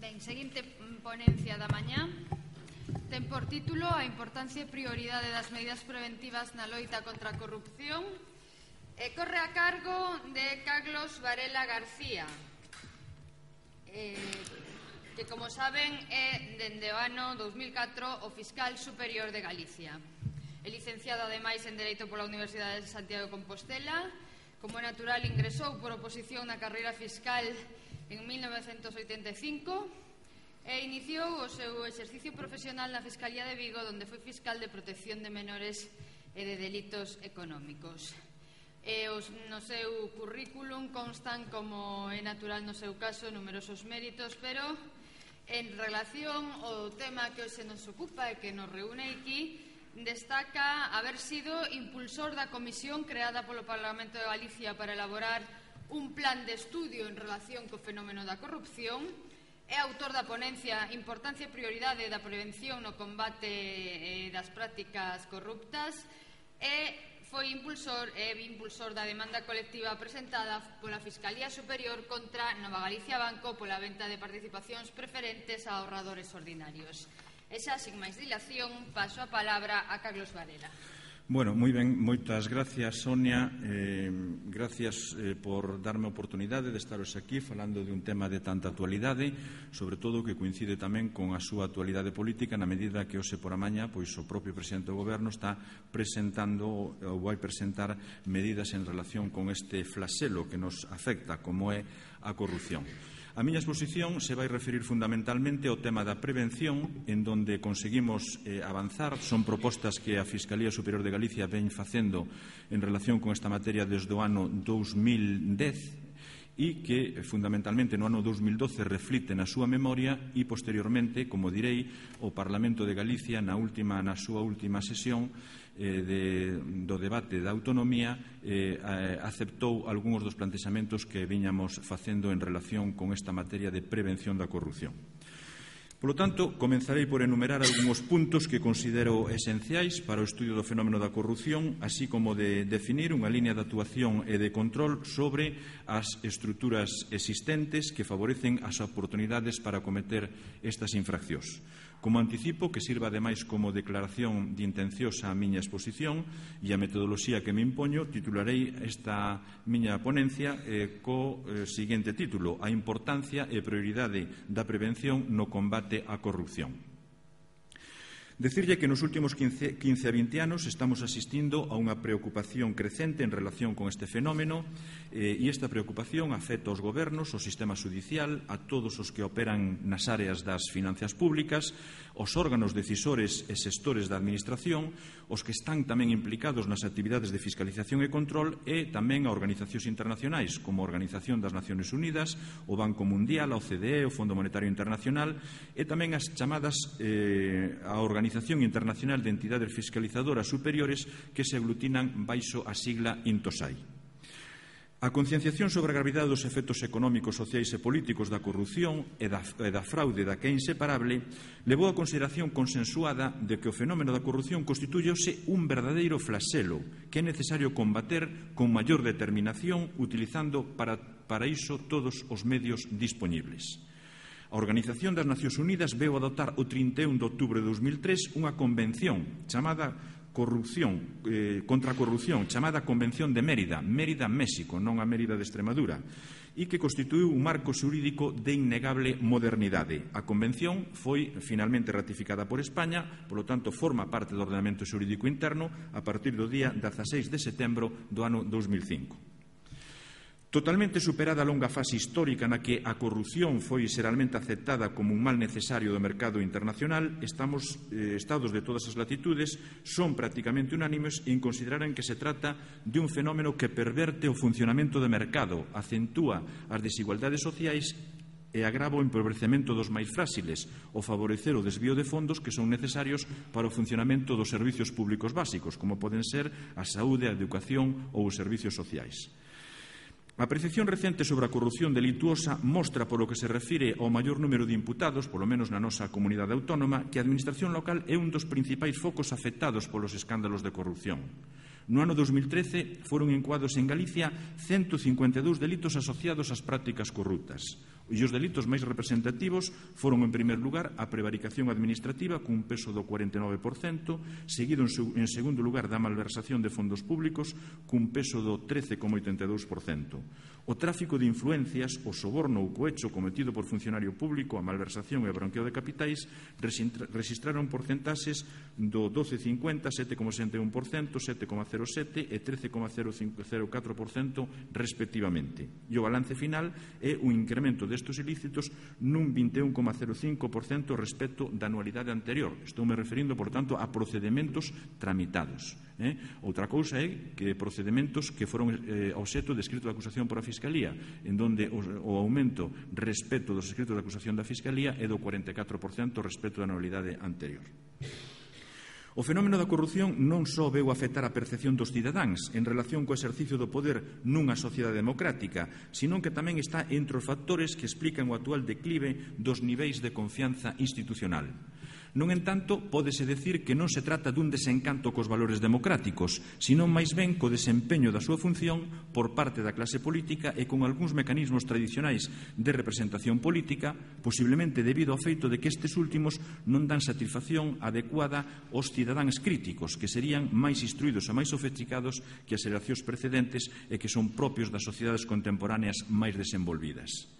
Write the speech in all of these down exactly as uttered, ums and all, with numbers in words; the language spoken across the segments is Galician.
Ben, seguinte ponencia da mañá ten por título a importancia e prioridade das medidas preventivas na loita contra a corrupción e corre a cargo de Carlos Varela García, eh, que, como saben, é dende o ano dous mil catro o fiscal superior de Galicia. É licenciado, ademais, en Dereito pola Universidade de Santiago de Compostela. Como é natural, ingresou por oposición na carreira fiscal en mil novecentos oitenta e cinco e iniciou o seu exercicio profesional na Fiscalía de Vigo, onde foi fiscal de protección de menores e de delitos económicos. E os, no seu currículum constan, como é natural no seu caso, numerosos méritos, pero en relación ao tema que hoxe nos ocupa e que nos reúne aquí, destaca haber sido impulsor da comisión creada polo Parlamento de Galicia para elaborar un plan de estudio en relación co fenómeno da corrupción, é autor da ponencia Importancia e prioridade da prevención no combate eh, das prácticas corruptas e foi impulsor e impulsor da demanda colectiva presentada pola Fiscalía Superior contra Nova Galicia Banco pola venta de participacións preferentes a ahorradores ordinarios. E xa, sin máis dilación, paso a palabra a Carlos Varela. Bueno, moi ben, moitas gracias, Sonia. Eh, gracias eh, por darme a oportunidade de estaros aquí falando de un tema de tanta actualidade, sobre todo que coincide tamén con a súa actualidade política na medida que hoxe por a mañá pois o propio presidente do Goberno está presentando ou vai presentar medidas en relación con este flagelo que nos afecta, como é a corrupción. A miña exposición se vai referir fundamentalmente ao tema da prevención, en donde conseguimos eh, avanzar. Son propostas que a Fiscalía Superior de Galicia ven facendo en relación con esta materia desde o ano dous mil dez e que fundamentalmente no ano dous mil doce reflite na súa memoria e posteriormente, como direi, o Parlamento de Galicia na, última, na súa última sesión eh, de, do debate da autonomía eh, aceptou algúns dos plantexamentos que viñamos facendo en relación con esta materia de prevención da corrupción. Por lo tanto, comenzarei por enumerar algúns puntos que considero esenciais para o estudio do fenómeno da corrupción, así como de definir unha línea de actuación e de control sobre as estruturas existentes que favorecen as oportunidades para cometer estas infraccións. Como anticipo, que sirva ademais como declaración de intencións a miña exposición e a metodoloxía que me impoño, titularei esta miña ponencia eh, co eh, seguinte título: A importancia e prioridade da prevención no combate á corrupción. Decirlle que nos últimos quince a vinte anos estamos asistindo a unha preocupación crecente en relación con este fenómeno eh, e esta preocupación afecta aos gobernos, ao sistema judicial, a todos os que operan nas áreas das finanzas públicas, os órganos decisores e xestores da administración, os que están tamén implicados nas actividades de fiscalización e control e tamén a organizacións internacionais como a Organización das Nacións Unidas, o Banco Mundial, a O C D E, o Fondo Monetario Internacional e tamén as chamadas eh, a Organización Organización Internacional de Entidades Fiscalizadoras Superiores que se aglutinan baixo a sigla INTOSAI. A concienciación sobre a gravidade dos efectos económicos, sociais e políticos da corrupción e da, e da fraude da que é inseparable levou a consideración consensuada de que o fenómeno da corrupción constituyose un verdadeiro flagelo que é necesario combater con maior determinación utilizando para, para iso todos os medios dispoñibles. A Organización das Nacións Unidas veu adoptar o trinta e un de outubro de dous mil tres unha convención chamada corrupción, eh, contra a corrupción, chamada Convención de Mérida, Mérida, México, non a Mérida de Extremadura, e que constituiu un marco xurídico de innegable modernidade. A convención foi finalmente ratificada por España, polo tanto forma parte do ordenamento xurídico interno a partir do día dezaseis de setembro do ano dous mil cinco. Totalmente superada a longa fase histórica na que a corrupción foi xeralmente aceptada como un mal necesario do mercado internacional, estamos, eh, estados de todas as latitudes son prácticamente unánimes en considerar que se trata de un fenómeno que perverte o funcionamento do mercado, acentúa as desigualdades sociais e agrava o empobrecemento dos máis fráxiles, o favorecer o desvío de fondos que son necesarios para o funcionamento dos servicios públicos básicos, como poden ser a saúde, a educación ou os servicios sociais. A percepción recente sobre a corrupción delituosa mostra, polo que se refire ao maior número de imputados, polo menos na nosa comunidade autónoma, que a administración local é un dos principais focos afectados polos escándalos de corrupción. No ano dous mil trece foron encuados en Galicia ciento cincuenta e dous delitos asociados ás prácticas corruptas. E os delitos máis representativos foron, en primer lugar, a prevaricación administrativa, cun peso do cuarenta e nove por cento, seguido en segundo lugar da malversación de fondos públicos, cun peso do trece coma oitenta e dous por cento. O tráfico de influencias, o soborno ou cohecho cometido por funcionario público, a malversación e o branqueo de capitais registraron porcentaxes do doce coma cincuenta, sete coma sesenta e un por cento, sete coma cero sete e trece coma cero catro por cento respectivamente. E o balance final é un incremento destes ilícitos nun vinte e un coma cero cinco por cento respecto da anualidade anterior. Estou me referindo, por tanto, a procedementos tramitados. Eh? Outra cousa é que procedementos que foron eh, obxecto de escrito de acusación por a Fiscalía, en donde o, o aumento respecto dos escritos de acusación da Fiscalía é do cuarenta e catro por cento respecto da anualidade anterior. O fenómeno da corrupción non só veu afectar a percepción dos cidadáns en relación co exercicio do poder nunha sociedade democrática, senón que tamén está entre os factores que explican o actual declive dos niveis de confianza institucional. Non entanto, pódese decir que non se trata dun desencanto cos valores democráticos, senón máis ben co desempeño da súa función por parte da clase política e con algúns mecanismos tradicionais de representación política, posiblemente debido ao feito de que estes últimos non dan satisfacción adecuada aos cidadáns críticos, que serían máis instruídos e máis sofisticados que as xeracións precedentes e que son propios das sociedades contemporáneas máis desenvolvidas.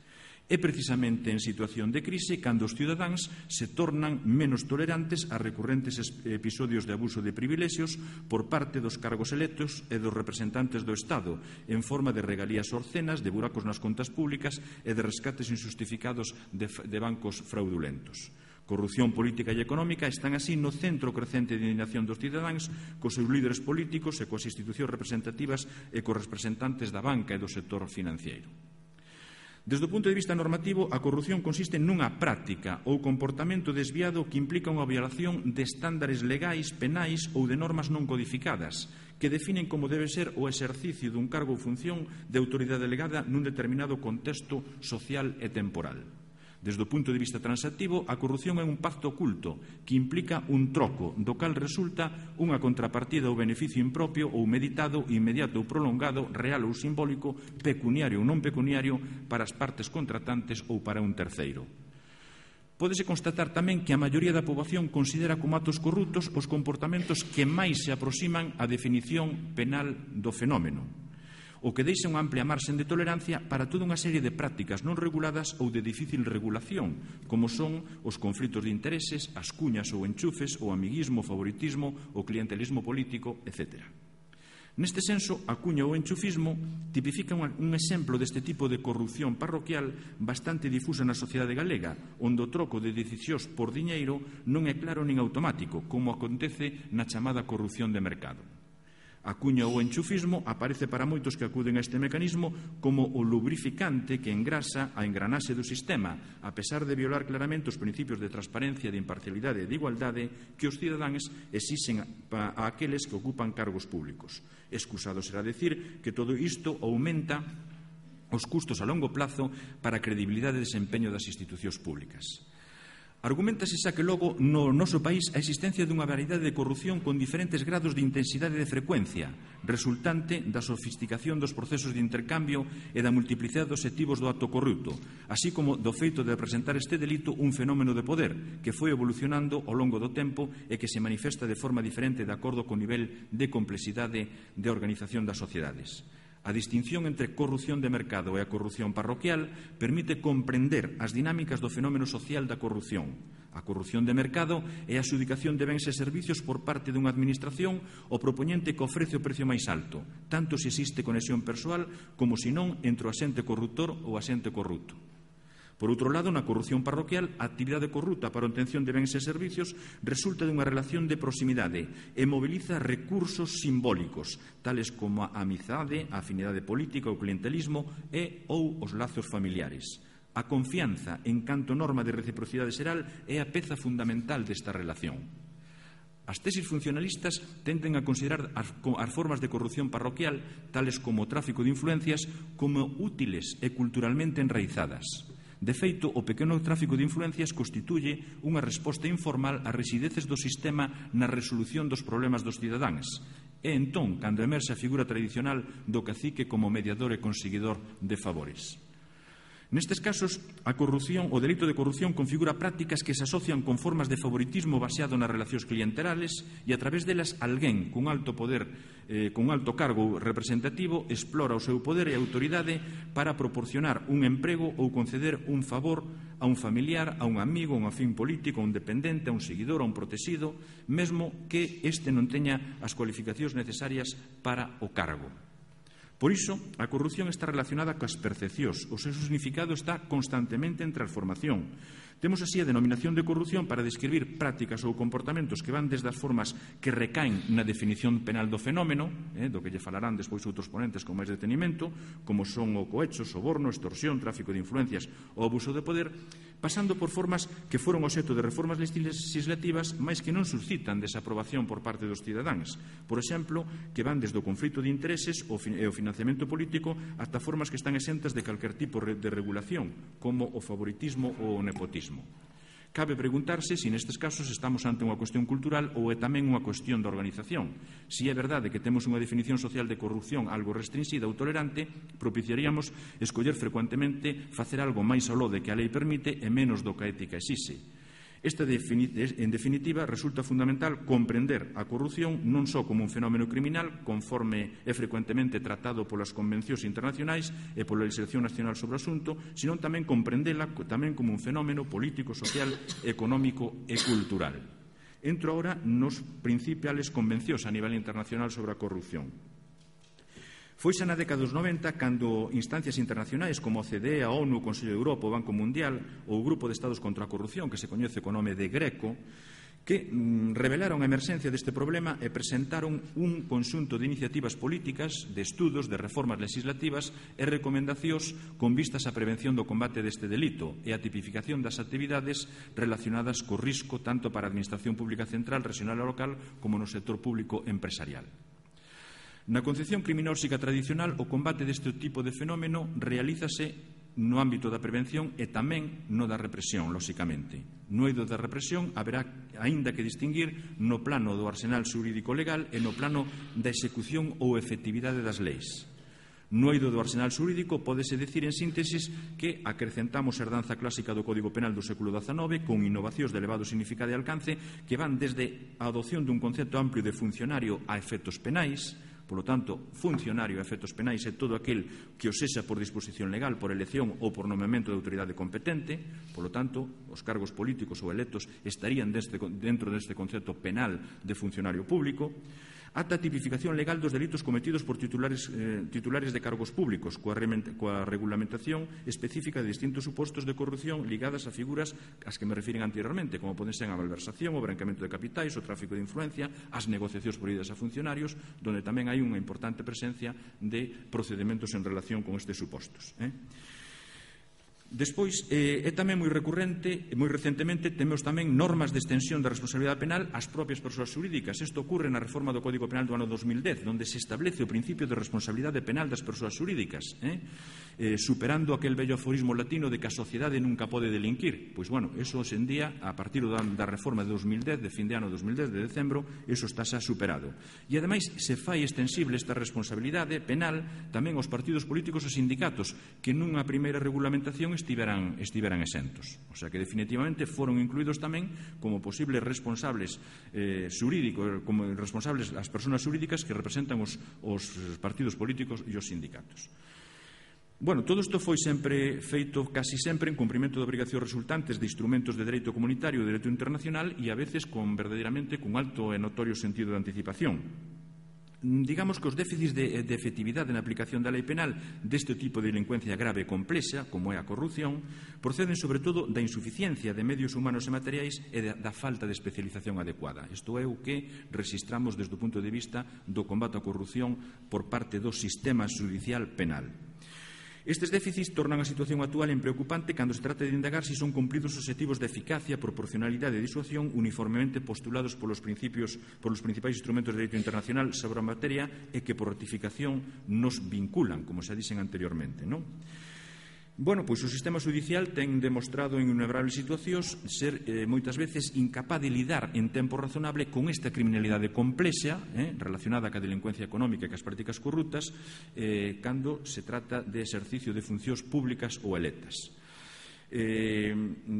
É precisamente en situación de crise cando os cidadáns se tornan menos tolerantes a recurrentes episodios de abuso de privilexios por parte dos cargos electos e dos representantes do Estado en forma de regalías orcenas, de buracos nas contas públicas e de rescates injustificados de, de bancos fraudulentos. Corrupción política e económica están así no centro crecente de indignación dos cidadáns cos seus líderes políticos e coas institucións representativas e cos representantes da banca e do sector financiero. Desde o punto de vista normativo, a corrupción consiste nunha práctica ou comportamento desviado que implica unha violación de estándares legais, penais ou de normas non codificadas que definen como debe ser o exercicio dun cargo ou función de autoridade delegada nun determinado contexto social e temporal. Desde o punto de vista transactivo, a corrupción é un pacto oculto que implica un troco, do cal resulta unha contrapartida ou beneficio impropio ou meditado, inmediato ou prolongado, real ou simbólico, pecuniario ou non pecuniario para as partes contratantes ou para un terceiro. Pódese constatar tamén que a maioría da poboación considera como actos corruptos os comportamentos que máis se aproximan á definición penal do fenómeno, o que deixa unha amplia marxen de tolerancia para toda unha serie de prácticas non reguladas ou de difícil regulación, como son os conflitos de intereses, as cuñas ou enchufes, o amiguismo, o favoritismo, o clientelismo político, etcétera. Neste senso, a cuña ou enchufismo tipifica un exemplo deste tipo de corrupción parroquial bastante difusa na sociedade galega, onde o troco de decisións por diñeiro non é claro nin automático, como acontece na chamada corrupción de mercado. A cuña ou enchufismo aparece para moitos que acuden a este mecanismo como o lubrificante que engrasa a engranaxe do sistema, a pesar de violar claramente os principios de transparencia, de imparcialidade e de igualdade que os cidadáns exixen a aqueles que ocupan cargos públicos. Excusado será decir que todo isto aumenta os custos a longo plazo para a credibilidade e desempeño das institucións públicas. Argumentase xa que logo no noso país a existencia dunha variedade de corrupción con diferentes grados de intensidade e de frecuencia, resultante da sofisticación dos procesos de intercambio e da multiplicidade dos obxectivos do acto corrupto, así como do feito de representar este delito un fenómeno de poder que foi evolucionando ao longo do tempo e que se manifesta de forma diferente de acordo co nivel de complexidade de organización das sociedades. A distinción entre corrupción de mercado e a corrupción parroquial permite comprender as dinámicas do fenómeno social da corrupción. A corrupción de mercado é a adxudicación de bens e servicios por parte dunha administración o propoñente que ofrece o precio máis alto, tanto se existe conexión persoal como se non entre o axente corruptor ou o axente corrupto. Por outro lado, na corrupción parroquial, a actividade corrupta para a obtención de bens e servicios resulta dunha relación de proximidade e mobiliza recursos simbólicos, tales como a amizade, a afinidade política, o clientelismo e ou os lazos familiares. A confianza, en canto norma de reciprocidade xeral, é a peza fundamental desta relación. As tesis funcionalistas tenden a considerar as, as formas de corrupción parroquial, tales como o tráfico de influencias, como útiles e culturalmente enraizadas. De feito, o pequeno tráfico de influencias constituye unha resposta informal ás resideces do sistema na resolución dos problemas dos cidadáns. É entón cando emerxe a figura tradicional do cacique como mediador e conseguidor de favores. Nestes casos, a corrupción, o delito de corrupción configura prácticas que se asocian con formas de favoritismo baseado nas relacións clienterales e a través delas alguén cun alto poder, eh, cun alto cargo representativo explora o seu poder e autoridade para proporcionar un emprego ou conceder un favor a un familiar, a un amigo, a un afín político, a un dependente, a un seguidor, a un protegido, mesmo que este non teña as cualificacións necesarias para o cargo. Por iso, a corrupción está relacionada coas percepcións. O seu significado está constantemente en transformación. Temos así a denominación de corrupción para describir prácticas ou comportamentos que van desde as formas que recaen na definición penal do fenómeno, eh, do que lle falarán despois outros ponentes con máis detenimento, como son o cohecho, soborno, extorsión, tráfico de influencias ou abuso de poder, pasando por formas que foron obxecto de reformas legislativas, mais que non suscitan desaprobación por parte dos cidadáns. Por exemplo, que van desde o conflito de intereses e o financiamento político ata formas que están exentas de calquer tipo de regulación, como o favoritismo ou o nepotismo. Cabe preguntarse se nestes casos estamos ante unha cuestión cultural ou é tamén unha cuestión de organización. Se é verdade que temos unha definición social de corrupción algo restringida ou tolerante, propiciaríamos escoller frecuentemente facer algo máis ao lode que a lei permite e menos do que a ética exixe. Esta, en definitiva, resulta fundamental comprender a corrupción non só como un fenómeno criminal, conforme é frecuentemente tratado polas convencións internacionais e pola legislación nacional sobre o asunto, sino tamén comprendela tamén como un fenómeno político, social, económico e cultural. Entro agora nos principales convencións a nivel internacional sobre a corrupción. Foise na década dos noventa cando instancias internacionais como a O C D E, a ONU, o Consello de Europa, o Banco Mundial ou o Grupo de Estados contra a Corrupción, que se coñece co nome de Greco, que mm, revelaron a emerxencia deste problema e presentaron un conxunto de iniciativas políticas, de estudos, de reformas legislativas e recomendacións con vistas á prevención do combate deste delito e a tipificación das actividades relacionadas co risco tanto para a Administración Pública Central, regional e local como no sector público empresarial. Na concepción criminóxica tradicional, o combate deste tipo de fenómeno realízase no ámbito da prevención e tamén no da represión, lóxicamente. No eido da represión haberá aínda que distinguir no plano do arsenal xurídico legal e no plano da execución ou efectividade das leis. No eido do arsenal xurídico pódese decir en síntesis que acrecentamos a herdanza clásica do Código Penal do século dezanove con innovacións de elevado significado e alcance que van desde a adopción dun concepto amplio de funcionario a efectos penais. Polo tanto, funcionario a efectos penais é todo aquel que o sexa por disposición legal, por elección ou por nomeamento de autoridade competente. Polo tanto, os cargos políticos ou electos estarían dentro deste concepto penal de funcionario público. Ata a tipificación legal dos delitos cometidos por titulares, eh, titulares de cargos públicos, coa, coa regulamentación específica de distintos supostos de corrupción ligadas a figuras ás que me refiren anteriormente, como poden ser a malversación, o branqueamento de capitais, o tráfico de influencia, as negociacións prohibidas a funcionarios, donde tamén hai unha importante presencia de procedementos en relación con estes supostos. Eh? Despois, eh, é tamén moi recurrente, moi recentemente, temos tamén normas de extensión da responsabilidade penal ás propias persoas xurídicas. Isto ocorre na reforma do Código Penal do ano dos mil dez, onde se establece o principio de responsabilidade penal das persoas xurídicas, eh? Eh, superando aquel vello aforismo latino de que a sociedade nunca pode delinquir. Pois, bueno, eso hoxe en día, a partir da, da reforma de dos mil dez, de fin de ano dos mil dez, de decembro, eso está xa superado. E, ademais, se fai extensible esta responsabilidade penal tamén aos partidos políticos e sindicatos, que nunha primeira regulamentación estiveran, estiveran exentos. O sea que definitivamente foron incluídos tamén como posibles responsables eh, xurídicos, como responsables as persoas xurídicas que representan os, os partidos políticos e os sindicatos. Bueno, todo isto foi sempre feito casi sempre en cumprimento de obrigacións resultantes de instrumentos de dereito comunitario e de dereito internacional e a veces con verdadeiramente con alto e notorio sentido de anticipación. Digamos que os déficits de, de efectividade na aplicación da lei penal deste tipo de delincuencia grave e complexa, como é a corrupción, proceden sobre todo da insuficiencia de medios humanos e materiais e da, da falta de especialización adecuada. Isto é o que registramos desde o punto de vista do combate á corrupción por parte do sistema judicial penal. Estes déficits tornan a situación actual en preocupante cando se trata de indagar se son cumpridos os obxectivos de eficacia, proporcionalidade e disuasión uniformemente postulados polos principios, polos principais instrumentos de dereito internacional sobre a materia e que por ratificación nos vinculan, como xa dixen anteriormente, non? Bueno, pois o sistema judicial ten demostrado en innumerables situacións ser eh, moitas veces incapaz de lidar en tempo razonable con esta criminalidade complexa eh, relacionada ca delincuencia económica e cas prácticas corruptas eh, cando se trata de exercicio de funcións públicas ou electas. Eh,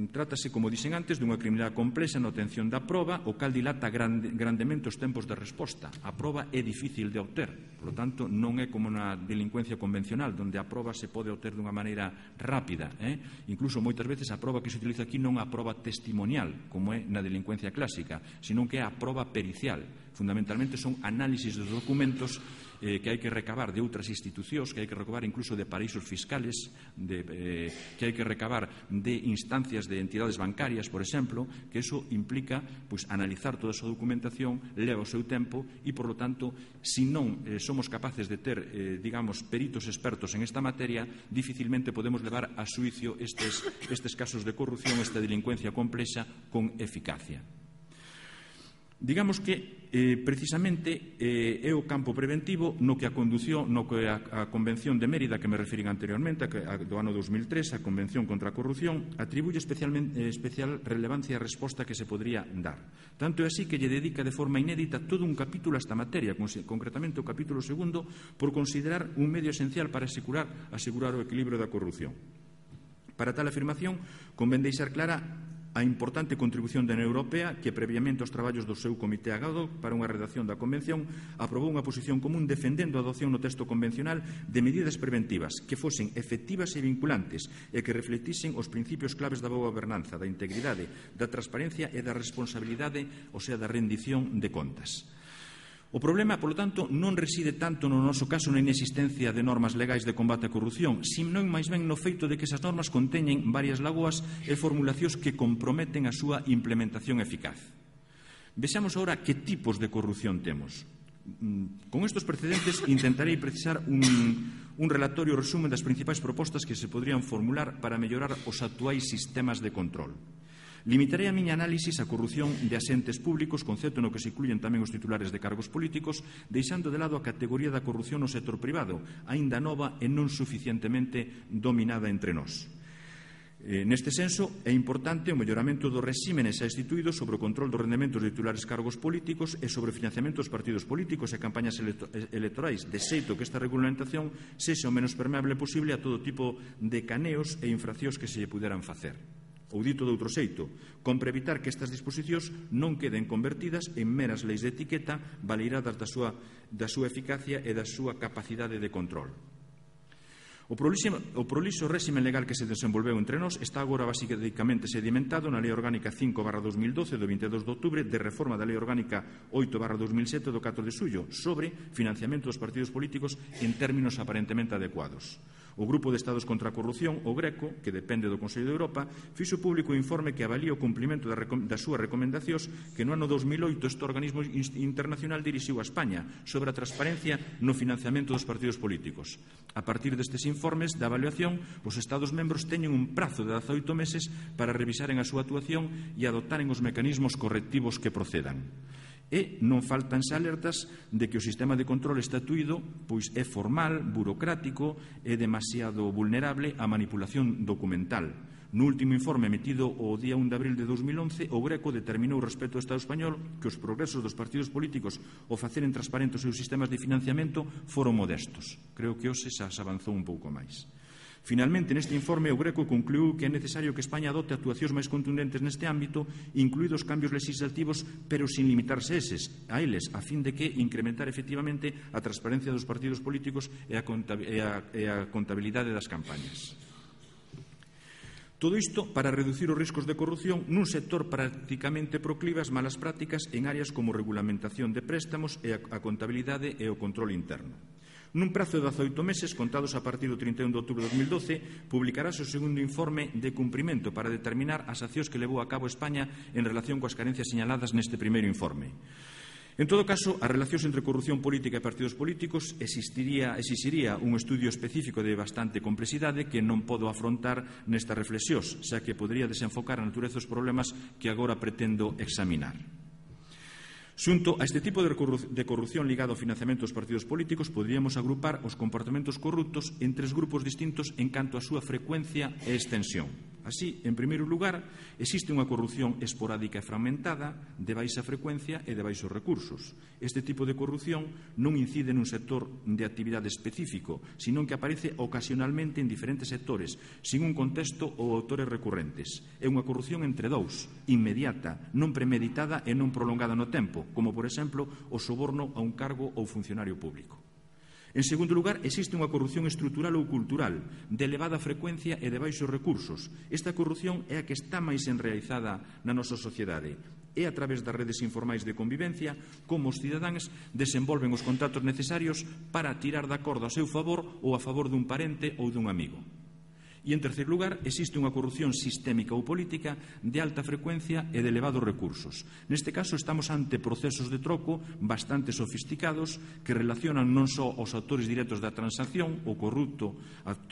trátase, como dixen antes, dunha criminalidade complexa na obtención da proba, o cal dilata grande, grandemente os tempos de resposta. A proba é difícil de obter, por lo tanto, non é como na delincuencia convencional, donde a proba se pode obter dunha maneira rápida. Eh? Incluso, moitas veces, a proba que se utiliza aquí non é a proba testimonial, como é na delincuencia clásica, senón que é a proba pericial. Fundamentalmente son análisis dos documentos eh, que hai que recabar de outras institucións, que hai que recabar incluso de paraísos fiscales, de, eh, que hai que recabar de instancias de entidades bancarias, por exemplo, que eso implica pues, analizar toda a súa documentación, leva o seu tempo e, por lo tanto, se non eh, somos capaces de ter, eh, digamos, peritos expertos en esta materia, dificilmente podemos levar a xuicio estes, estes casos de corrupción, esta delincuencia complexa, con eficacia. Digamos que, eh, precisamente, eh, é o campo preventivo no que a condució, no que a, a Convención de Mérida, que me refirín anteriormente, a, a, do ano dos mil tres, a Convención contra a Corrupción, atribuye especialmente, eh, especial relevancia a resposta que se podría dar. Tanto é así que lle dedica de forma inédita todo un capítulo a esta materia, concretamente o capítulo segundo, por considerar un medio esencial para asegurar, asegurar o equilibrio da corrupción. Para tal afirmación, convén deixar clara a importante contribución da Unión Europea que, previamente aos traballos do seu Comité ad hoc para unha redacción da Convención, aprobou unha posición común defendendo a adopción no texto convencional de medidas preventivas que fosen efectivas e vinculantes e que reflectisen os principios claves da boa gobernanza, da integridade, da transparencia e da responsabilidade, ou sea, da rendición de contas. O problema, polo tanto, non reside tanto no noso caso na inexistencia de normas legais de combate á corrupción, senón máis ben no feito de que esas normas conteñen varias lagoas e formulacións que comprometen a súa implementación eficaz. Vexamos agora que tipos de corrupción temos. Con estes precedentes intentarei precisar un, un relatorio resumen das principais propostas que se podrían formular para mellorar os actuais sistemas de control. Limitarei a miña análisis á corrupción de asentes públicos, concepto no que se incluyen tamén os titulares de cargos políticos, deixando de lado a categoría da corrupción no sector privado, aínda nova e non suficientemente dominada entre nós. Eh, neste senso, é importante o melloramento dos resímenes xa instituídos sobre o control dos rendementos de titulares cargos políticos e sobre o financiamento dos partidos políticos e campañas electorais, de xeito que esta regulamentación sexa o menos permeable posible a todo tipo de caneos e infraccións que se lle puderan facer. Ou dito de outro xeito, compre evitar que estas disposicións non queden convertidas en meras leis de etiqueta baleiradas da súa, da súa eficacia e da súa capacidade de control. O prolixo, o prolixo réximen legal que se desenvolveu entre nós está agora basicamente sedimentado na Lei Orgánica cinco barra dos mil doce do veintidós de outubro de reforma da Lei Orgánica oito barra dos mil sete do catro de xullo sobre financiamento dos partidos políticos en términos aparentemente adecuados. O Grupo de Estados contra a Corrupción, o GRECO, que depende do Consello de Europa, fixo público o informe que avalía o cumprimento das súas recomendacións que no ano dos mil oito este organismo internacional dirixiu a España sobre a transparencia no financiamento dos partidos políticos. A partir destes informes da avaliación, os Estados membros teñen un prazo de dezaoito meses para revisaren a súa actuación e adoptaren os mecanismos correctivos que procedan. E non faltan xa alertas de que o sistema de control estatuído pois é formal, burocrático e demasiado vulnerable á manipulación documental. No último informe emitido o día un de abril de dos mil once, o GRECO determinou respecto ao Estado español que os progresos dos partidos políticos ao faceren transparentes os seus sistemas de financiamento foron modestos. Creo que hoxe xa se avanzou un pouco máis. Finalmente, neste informe, o GRECO concluiu que é necesario que España adopte actuacións máis contundentes neste ámbito, incluídos cambios legislativos, pero sin limitarse eses, a eles, a fin de que incrementar efectivamente a transparencia dos partidos políticos e a, e a, e a contabilidade das campañas. Todo isto para reducir os riscos de corrupción nun sector prácticamente proclive ás malas prácticas en áreas como regulamentación de préstamos e a, a contabilidade e o control interno. Nun prazo de dezaoito meses, contados a partir do trinta e un de outubro de dos mil doce, publicarase o segundo informe de cumprimento para determinar as accións que levou a cabo España en relación coas carencias señaladas neste primeiro informe. En todo caso, as relacións entre corrupción política e partidos políticos existiría, exixiría un estudio específico de bastante complexidade que non podo afrontar nestas reflexións, xa que podría desenfocar a natureza dos problemas que agora pretendo examinar. Xunto a este tipo de corrupción ligado ao financiamento dos partidos políticos, poderíamos agrupar os comportamentos corruptos en tres grupos distintos en canto á súa frecuencia e extensión. Así, en primeiro lugar, existe unha corrupción esporádica e fragmentada, de baixa frecuencia e de baixos recursos. Este tipo de corrupción non incide nun sector de actividade específico, senón que aparece ocasionalmente en diferentes sectores, sin un contexto ou autores recurrentes. É unha corrupción entre dous, inmediata, non premeditada e non prolongada no tempo, como, por exemplo, o soborno a un cargo ou funcionario público. En segundo lugar, existe unha corrupción estrutural ou cultural, de elevada frecuencia e de baixos recursos. Esta corrupción é a que está máis enraizada na nosa sociedade. É a través das redes informais de convivencia como os cidadáns desenvolven os contactos necesarios para tirar da corda a seu favor ou a favor dun parente ou dun amigo. E, en terceiro lugar, existe unha corrupción sistémica ou política de alta frecuencia e de elevados recursos. Neste caso, estamos ante procesos de troco bastante sofisticados que relacionan non só os autores directos da transacción, o corrupto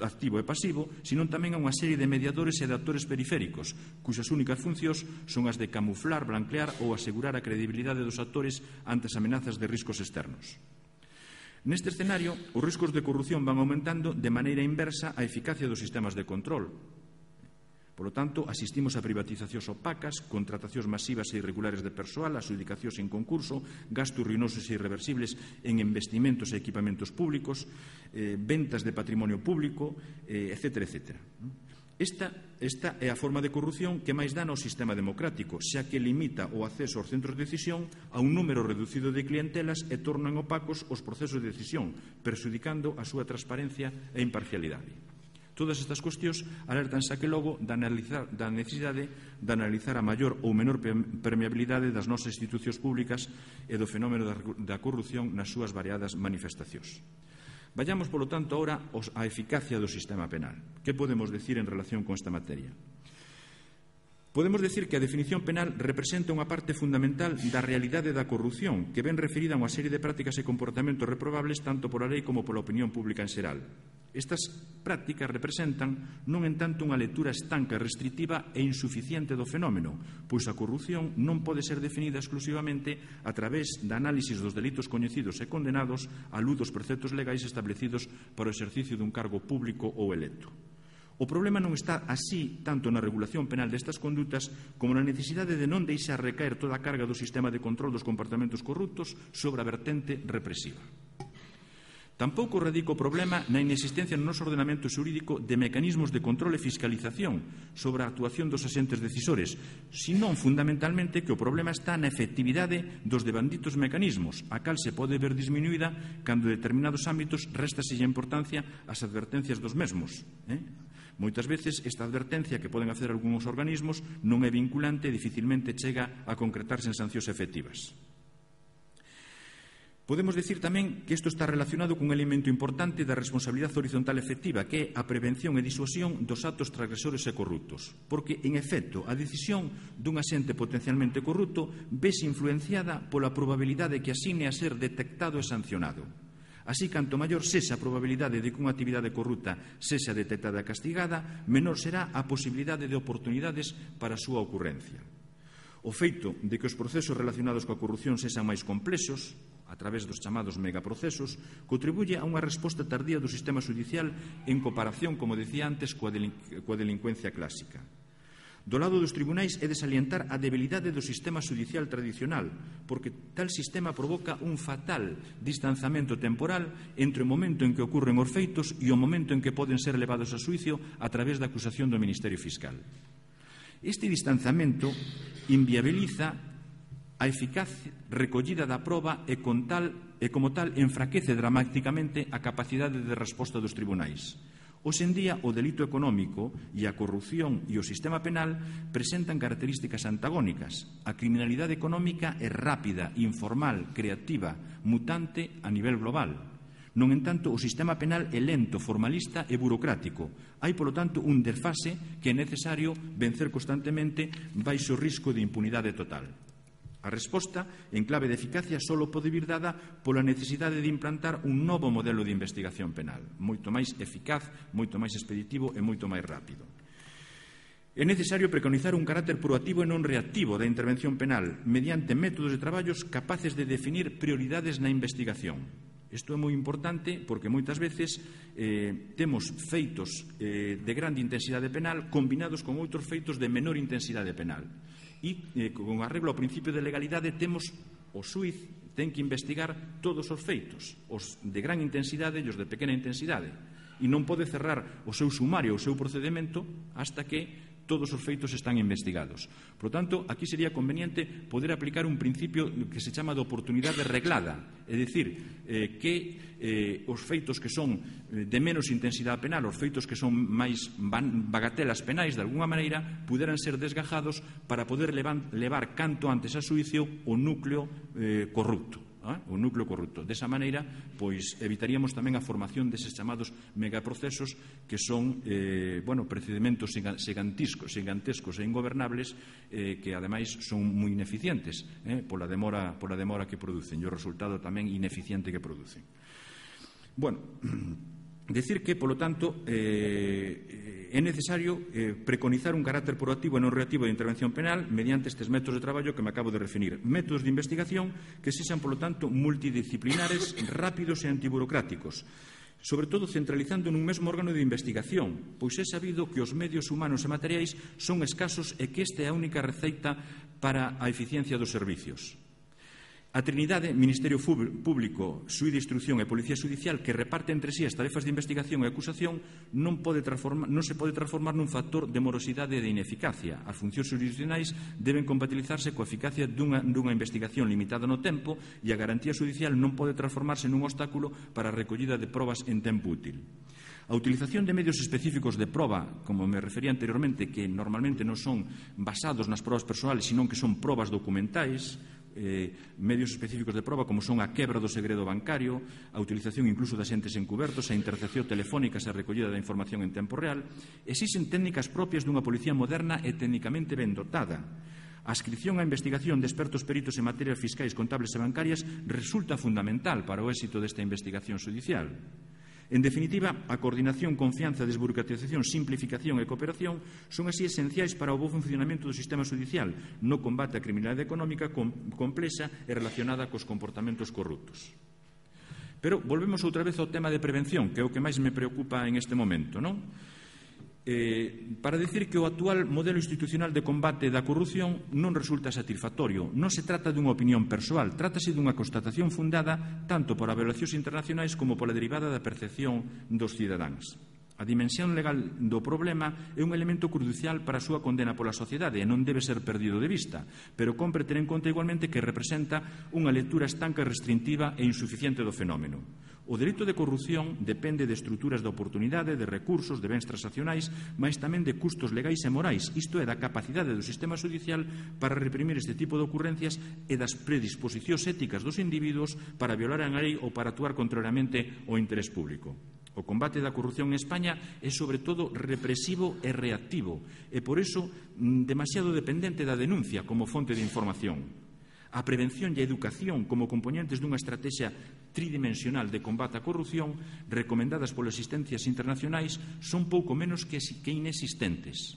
activo e pasivo, sino tamén a unha serie de mediadores e de actores periféricos, cuxas únicas funcións son as de camuflar, blanquear ou asegurar a credibilidade dos actores ante as amenazas de riscos externos. Neste escenario, os riscos de corrupción van aumentando de maneira inversa a eficacia dos sistemas de control. Por lo tanto, asistimos a privatizacións opacas, contratacións masivas e irregulares de persoal, adjudicacións en concurso, gastos ruinosos e irreversibles en investimentos e equipamentos públicos, eh, ventas de patrimonio público, eh, etcétera, etcétera. Esta, esta é a forma de corrupción que máis dana ao sistema democrático, xa que limita o acceso aos centros de decisión a un número reducido de clientelas e tornan opacos os procesos de decisión, perxudicando a súa transparencia e imparcialidade. Todas estas cuestións alertan xa que logo da, analizar, da necesidade de analizar a maior ou menor permeabilidade das nosas institucións públicas e do fenómeno da, da corrupción nas súas variadas manifestacións. Vayamos, polo tanto, ahora á eficacia do sistema penal. Que podemos decir en relación con esta materia? Podemos decir que a definición penal representa unha parte fundamental da realidade da corrupción, que ven referida a unha serie de prácticas e comportamentos reprobables tanto pola lei como pola opinión pública en xeral. Estas prácticas representan non en tanto unha lectura estanca, restritiva e insuficiente do fenómeno, pois a corrupción non pode ser definida exclusivamente a través da análisis dos delitos coñecidos e condenados á luz dos preceptos legais establecidos para o exercicio dun cargo público ou electo. O problema non está así tanto na regulación penal destas condutas como na necesidade de non deixar recaer toda a carga do sistema de control dos comportamentos corruptos sobre a vertente represiva. Tampouco radica o problema na inexistencia no noso ordenamento xurídico de mecanismos de control e fiscalización sobre a actuación dos axentes decisores, senón fundamentalmente que o problema está na efectividade dos devanditos mecanismos, a cal se pode ver disminuída cando en determinados ámbitos réstaselle importancia ás advertencias dos mesmos. Eh? Moitas veces esta advertencia que poden hacer algúns organismos non é vinculante e dificilmente chega a concretarse en sancións efectivas. Podemos decir tamén que isto está relacionado cun elemento importante da responsabilidade horizontal efectiva, que é a prevención e disuasión dos actos transgresores e corruptos. Porque, en efecto, a decisión dun axente potencialmente corrupto vese influenciada pola probabilidade que asigne a ser detectado e sancionado. Así, canto maior sexa a probabilidade de que unha actividade corrupta sexa detectada e castigada, menor será a posibilidade de oportunidades para a súa ocurrencia. O feito de que os procesos relacionados coa corrupción sexan máis complexos, a través dos chamados megaprocesos, contribuye a unha resposta tardía do sistema judicial en comparación, como decía antes, coa, delin coa delincuencia clásica. Do lado dos tribunais é de salientar a debilidade do sistema judicial tradicional, porque tal sistema provoca un fatal distanzamento temporal entre o momento en que ocurren os feitos e o momento en que poden ser levados a xuicio a través da acusación do Ministerio Fiscal. Este distanzamento inviabiliza a eficaz recollida da proba e, con tal, e como tal enfraquece dramáticamente a capacidade de resposta dos tribunais. Hoxe en día, o delito económico e a corrupción e o sistema penal presentan características antagónicas. A criminalidade económica é rápida, informal, creativa, mutante a nivel global. Non entanto, o sistema penal é lento, formalista e burocrático. Hai, polo tanto, un desfase que é necesario vencer constantemente baixo risco de impunidade total. A resposta, en clave de eficacia, só pode vir dada pola necesidade de implantar un novo modelo de investigación penal, moito máis eficaz, moito máis expeditivo e moito máis rápido. É necesario preconizar un carácter proactivo e non reactivo da intervención penal mediante métodos de traballos capaces de definir prioridades na investigación. Isto é moi importante porque moitas veces eh, temos feitos eh, de grande intensidade penal combinados con outros feitos de menor intensidade penal. E eh, con arreglo ao principio de legalidade temos o xuiz ten que investigar todos os feitos, os de gran intensidade e os de pequena intensidade, e non pode cerrar o seu sumario, o seu procedimento hasta que todos os feitos están investigados. Por lo tanto, aquí sería conveniente poder aplicar un principio que se chama de oportunidade reglada, é dicir, eh, que eh, os feitos que son de menos intensidade penal, os feitos que son máis bagatelas penais, de alguna maneira, puderan ser desgajados para poder levar, levar canto antes a xuicio o núcleo eh, corrupto. O núcleo corrupto. Desa maneira, pois, evitaríamos tamén a formación deses chamados megaprocesos que son, eh, bueno, procedimentos gigantescos, gigantescos e ingobernables eh, que, ademais, son moi ineficientes eh, pola demora, pola demora que producen e o resultado tamén ineficiente que producen. Bueno, decir que, polo tanto, eh, é necesario eh, preconizar un carácter proactivo e non reactivo de intervención penal mediante estes métodos de traballo que me acabo de referir. Métodos de investigación que sexan, polo tanto, multidisciplinares, rápidos e antiburocráticos, sobre todo centralizando nun mesmo órgano de investigación, pois é sabido que os medios humanos e materiais son escasos e que esta é a única receita para a eficiencia dos servicios. A Trinidade, Ministerio Público, Xuíz de Instrucción e Policía Xudicial, que reparte entre sí as tarefas de investigación e acusación, non, pode non se pode transformar nun factor de morosidade e de ineficacia. As funcións jurisdiccionais deben compatibilizarse coa eficacia dunha, dunha investigación limitada no tempo e a garantía xudicial non pode transformarse nun obstáculo para a recollida de probas en tempo útil. A utilización de medios específicos de proba, como me refería anteriormente, que normalmente non son basados nas probas persoales, senón que son probas documentais, Eh, medios específicos de proba como son a quebra do segredo bancario, a utilización incluso de axentes encubertos, a intercepción telefónica e a recollida da información en tempo real. Existen técnicas propias dunha policía moderna e técnicamente ben dotada. A adscripción á investigación de expertos peritos en materias fiscais, contables e bancarias resulta fundamental para o éxito desta investigación xudicial. En definitiva, a coordinación, confianza, desburocratización, simplificación e cooperación son así esenciais para o bo funcionamento do sistema xudicial no combate á criminalidade económica complexa e relacionada cos comportamentos corruptos. Pero volvemos outra vez ao tema de prevención, que é o que máis me preocupa en este momento, non? Eh, para decir que o actual modelo institucional de combate da corrupción non resulta satisfactorio. Non se trata dunha opinión persoal, trátase dunha constatación fundada tanto por avaliacións internacionais como pola derivada da percepción dos cidadáns. A dimensión legal do problema é un elemento crucial para a súa condena pola sociedade e non debe ser perdido de vista, pero compre ter en conta igualmente que representa unha lectura estanca, restrictiva e insuficiente do fenómeno. O delito de corrupción depende de estruturas de oportunidade, de recursos, de bens transaccionais, mas tamén de custos legais e morais, isto é, da capacidade do sistema xudicial para reprimir este tipo de ocurrencias e das predisposicións éticas dos individuos para violar a lei ou para actuar contrariamente ao interés público. O combate da corrupción en España é, sobre todo, represivo e reactivo e, por iso, demasiado dependente da denuncia como fonte de información. A prevención e a educación como componentes dunha estrategia tridimensional de combate á corrupción recomendadas polas asistencias internacionais son pouco menos que inexistentes.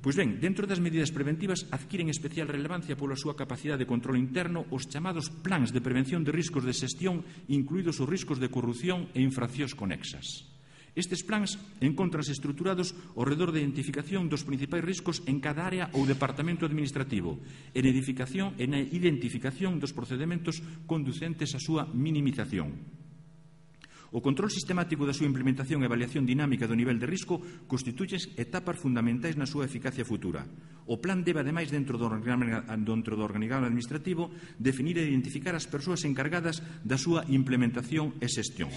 Pois ben, dentro das medidas preventivas adquiren especial relevancia pola súa capacidade de control interno os chamados plans de prevención de riscos de xestión, incluídos os riscos de corrupción e infraccións conexas. Estes plans encóntranse estruturados ao redor da identificación dos principais riscos en cada área ou departamento administrativo e na edificación e na identificación dos procedementos conducentes á súa minimización. O control sistemático da súa implementación e avaliación dinámica do nivel de risco constituyen etapas fundamentais na súa eficacia futura. O plan debe, ademais, dentro do organigrama administrativo, definir e identificar as persoas encargadas da súa implementación e xestión.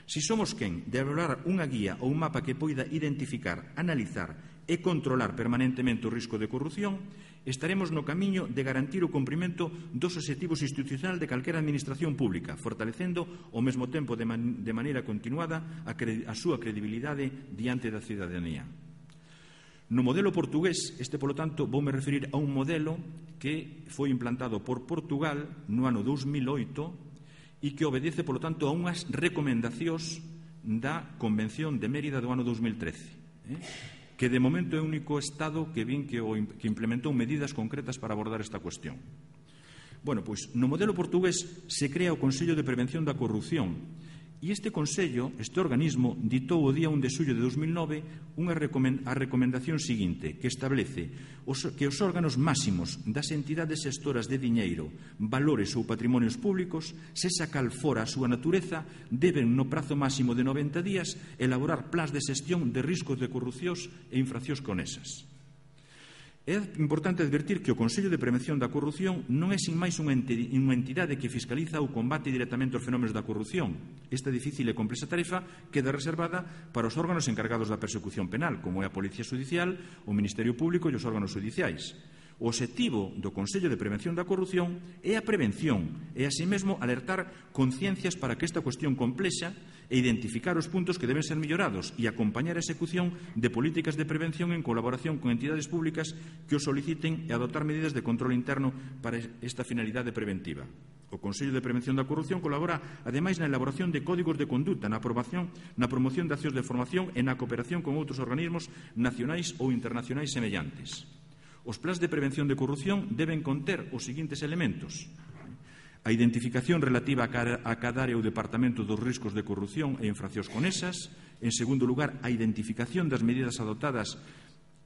Si somos quen de elaborar unha guía ou un mapa que poida identificar, analizar e controlar permanentemente o risco de corrupción, estaremos no camiño de garantir o cumprimento dos obxectivos institucional de calquera administración pública, fortalecendo ao mesmo tempo de, man de maneira continuada a, a súa credibilidade diante da cidadanía. No modelo portugués, este, polo tanto, voume referir a un modelo que foi implantado por Portugal no ano dous mil oito e que obedece, polo tanto, a unhas recomendacións da Convención de Mérida do ano dous mil trece. Eh? que de momento é o único Estado que vin que, o, que implementou medidas concretas para abordar esta cuestión. Bueno, pois, no modelo portugués se crea o Consello de Prevención da Corrupción e este Consello, este organismo, ditou o día un de xullo de dos mil nove unha a recomendación seguinte que establece os, que os órganos máximos das entidades xestoras de diñeiro, valores ou patrimonios públicos, sexa cal fora a súa natureza, deben no prazo máximo de noventa días elaborar plans de xestión de riscos de corrupcións e infraccións conexas. É importante advertir que o Consello de Prevención da Corrupción non é sin máis unha entidade que fiscaliza ou combate directamente os fenómenos da corrupción. Esta difícil e complexa tarefa queda reservada para os órganos encargados da persecución penal, como é a Policía Xudicial, o Ministerio Público e os órganos xudiciais. O obxectivo do Consello de Prevención da Corrupción é a prevención e, así mesmo, alertar conciencias para que esta cuestión complexa e identificar os puntos que deben ser mellorados e acompañar a execución de políticas de prevención en colaboración con entidades públicas que o soliciten e adoptar medidas de control interno para esta finalidade preventiva. O Consello de Prevención da Corrupción colabora, ademais, na elaboración de códigos de conduta, na aprobación, na promoción de accións de formación e na cooperación con outros organismos nacionais ou internacionais semellantes. Os plans de prevención de corrupción deben conter os seguintes elementos: a identificación relativa a cada área ou departamento dos riscos de corrupción e infraccións conexas. En segundo lugar, a identificación das medidas adoptadas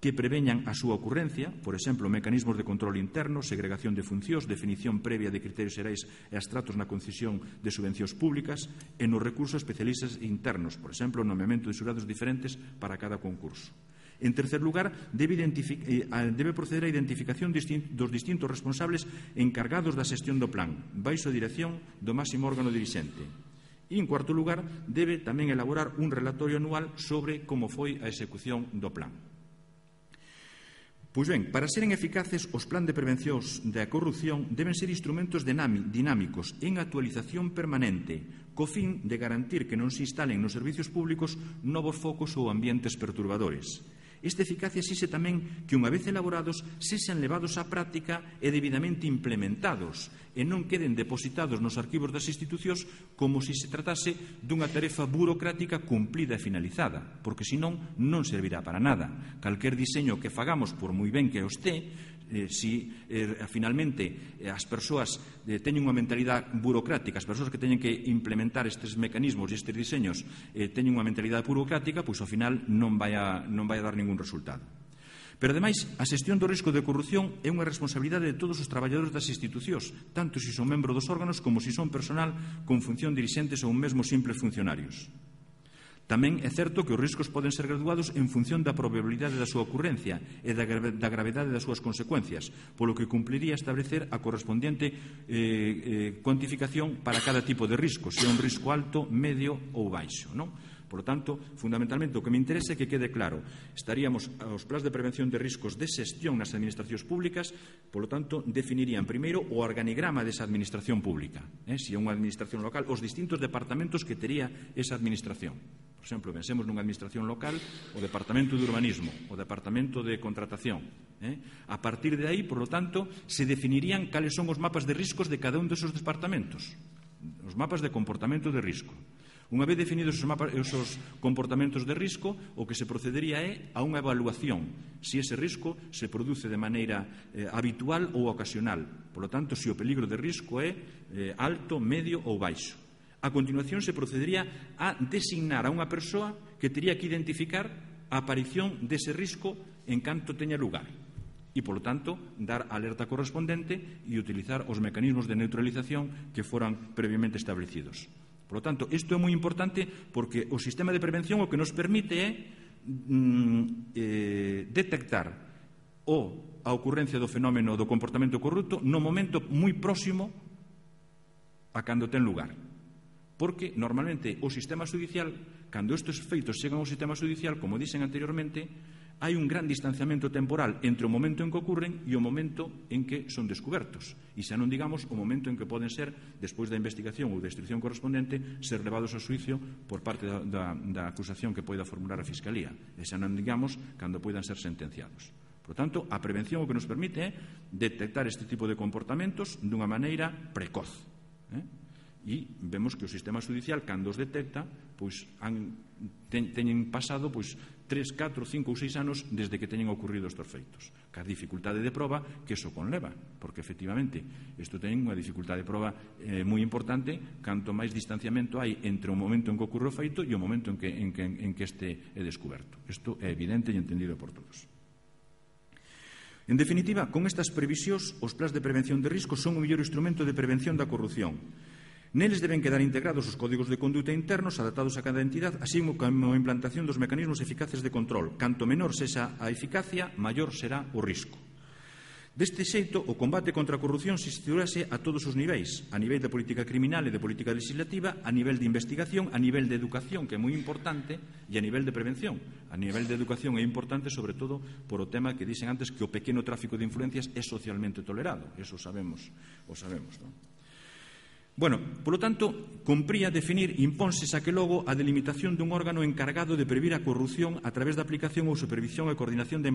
que preveñan a súa ocurrencia, por exemplo, mecanismos de control interno, segregación de funcións, definición previa de criterios xerais e abstratos na concesión de subvencións públicas e nos recursos especialistas internos, por exemplo, o nomeamento de xurados diferentes para cada concurso. En tercer lugar, debe, debe proceder á identificación dos distintos responsables encargados da xestión do plan, baixo a dirección do máximo órgano dirixente. E, en cuarto lugar, debe tamén elaborar un relatorio anual sobre como foi a execución do plan. Pois ben, para seren eficaces, os plans de prevención da corrupción deben ser instrumentos dinámicos en actualización permanente, co fin de garantir que non se instalen nos servicios públicos novos focos ou ambientes perturbadores. Esta eficacia exige tamén que, unha vez elaborados, sexan levados á práctica e debidamente implementados e non queden depositados nos arquivos das institucións como se se tratase dunha tarefa burocrática cumplida e finalizada, porque senón non servirá para nada. Calquer diseño que fagamos, por moi ben que o este, Eh, si eh, finalmente eh, as persoas eh, teñen unha mentalidade burocrática, as persoas que teñen que implementar estes mecanismos e estes diseños eh, teñen unha mentalidade burocrática, pois ao final non vai a, non vai a dar ningún resultado. Pero, ademais, a xestión do risco de corrupción é unha responsabilidade de todos os traballadores das institucións, tanto se son membros dos órganos como se son personal con función dirixentes ou mesmo simples funcionarios. Tamén é certo que os riscos poden ser graduados en función da probabilidade da súa ocurrencia e da gravedade das súas consecuencias, polo que cumpliría establecer a correspondente eh, eh, cuantificación para cada tipo de risco, se é un risco alto, medio ou baixo, non? Por lo tanto, fundamentalmente, o que me interesa é que quede claro. Estaríamos aos plans de prevención de riscos de xestión nas administracións públicas, por lo tanto, definirían primeiro o organigrama desa administración pública. Eh? Se é unha administración local, os distintos departamentos que tería esa administración. Por exemplo, pensemos nunha administración local, o Departamento de Urbanismo, o Departamento de Contratación. Eh? A partir de aí, por lo tanto, se definirían cales son os mapas de riscos de cada un desos departamentos. Os mapas de comportamento de risco. Unha vez definidos esos, mapas, esos comportamentos de risco, o que se procedería é a unha evaluación, se ese risco se produce de maneira eh, habitual ou ocasional. Por lo tanto, se o peligro de risco é eh, alto, medio ou baixo. A continuación, se procedería a designar a unha persoa que tería que identificar a aparición dese risco en canto teña lugar e, polo tanto, dar a alerta correspondente e utilizar os mecanismos de neutralización que foran previamente establecidos. Por lo tanto, isto é moi importante porque o sistema de prevención o que nos permite é mm, eh, detectar o a ocurrencia do fenómeno do comportamento corrupto no momento moi próximo a cando ten lugar. Porque, normalmente, o sistema judicial, cando estes feitos chegan ao sistema judicial, como dixen anteriormente, hai un gran distanciamento temporal entre o momento en que ocurren e o momento en que son descubertos. E xa non digamos o momento en que poden ser, despois da investigación ou da instrucción correspondente, ser levados a xuicio por parte da, da, da acusación que poida formular a Fiscalía. E xa non digamos cando poidan ser sentenciados. Por tanto, a prevención o que nos permite é detectar este tipo de comportamentos dunha maneira precoz. Eh? E vemos que o sistema judicial, cando os detecta, pois han, ten, teñen pasado pois, tres, catro, cinco ou seis anos desde que teñen ocurrido estes feitos. Ca dificultade de proba que iso conleva, porque efectivamente isto ten unha dificultade de proba eh, moi importante canto máis distanciamento hai entre o momento en que ocorre o feito e o momento en que, en que, en que este é descoberto. Isto é evidente e entendido por todos. En definitiva, con estas previsións, os plans de prevención de riscos son o mellor instrumento de prevención da corrupción. Neles deben quedar integrados os códigos de conduta internos adaptados a cada entidade, así como a implantación dos mecanismos eficaces de control. Canto menor sexa a eficacia, maior será o risco. Deste xeito, o combate contra a corrupción se situarase a todos os niveis, a nivel de política criminal e de política legislativa, a nivel de investigación, a nivel de educación, que é moi importante, e a nivel de prevención. A nivel de educación é importante, sobre todo, por o tema que dixen antes, que o pequeno tráfico de influencias é socialmente tolerado. Eso sabemos, o sabemos, non? Bueno, polo tanto, compría definir, impónse xa que logo, a delimitación dun órgano encargado de previr a corrupción a través da aplicación ou supervisión e coordinación da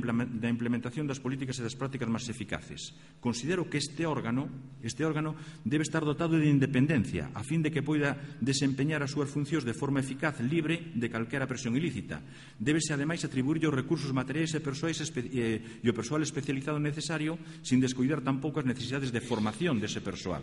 implementación das políticas e das prácticas máis eficaces. Considero que este órgano, este órgano debe estar dotado de independencia a fin de que poida desempeñar as súas funcións de forma eficaz, libre de calquera presión ilícita. Débese, ademais, atribuirlle os recursos materiais e persoais e o persoal especializado necesario, sin descoidar tampouco as necesidades de formación dese persoal.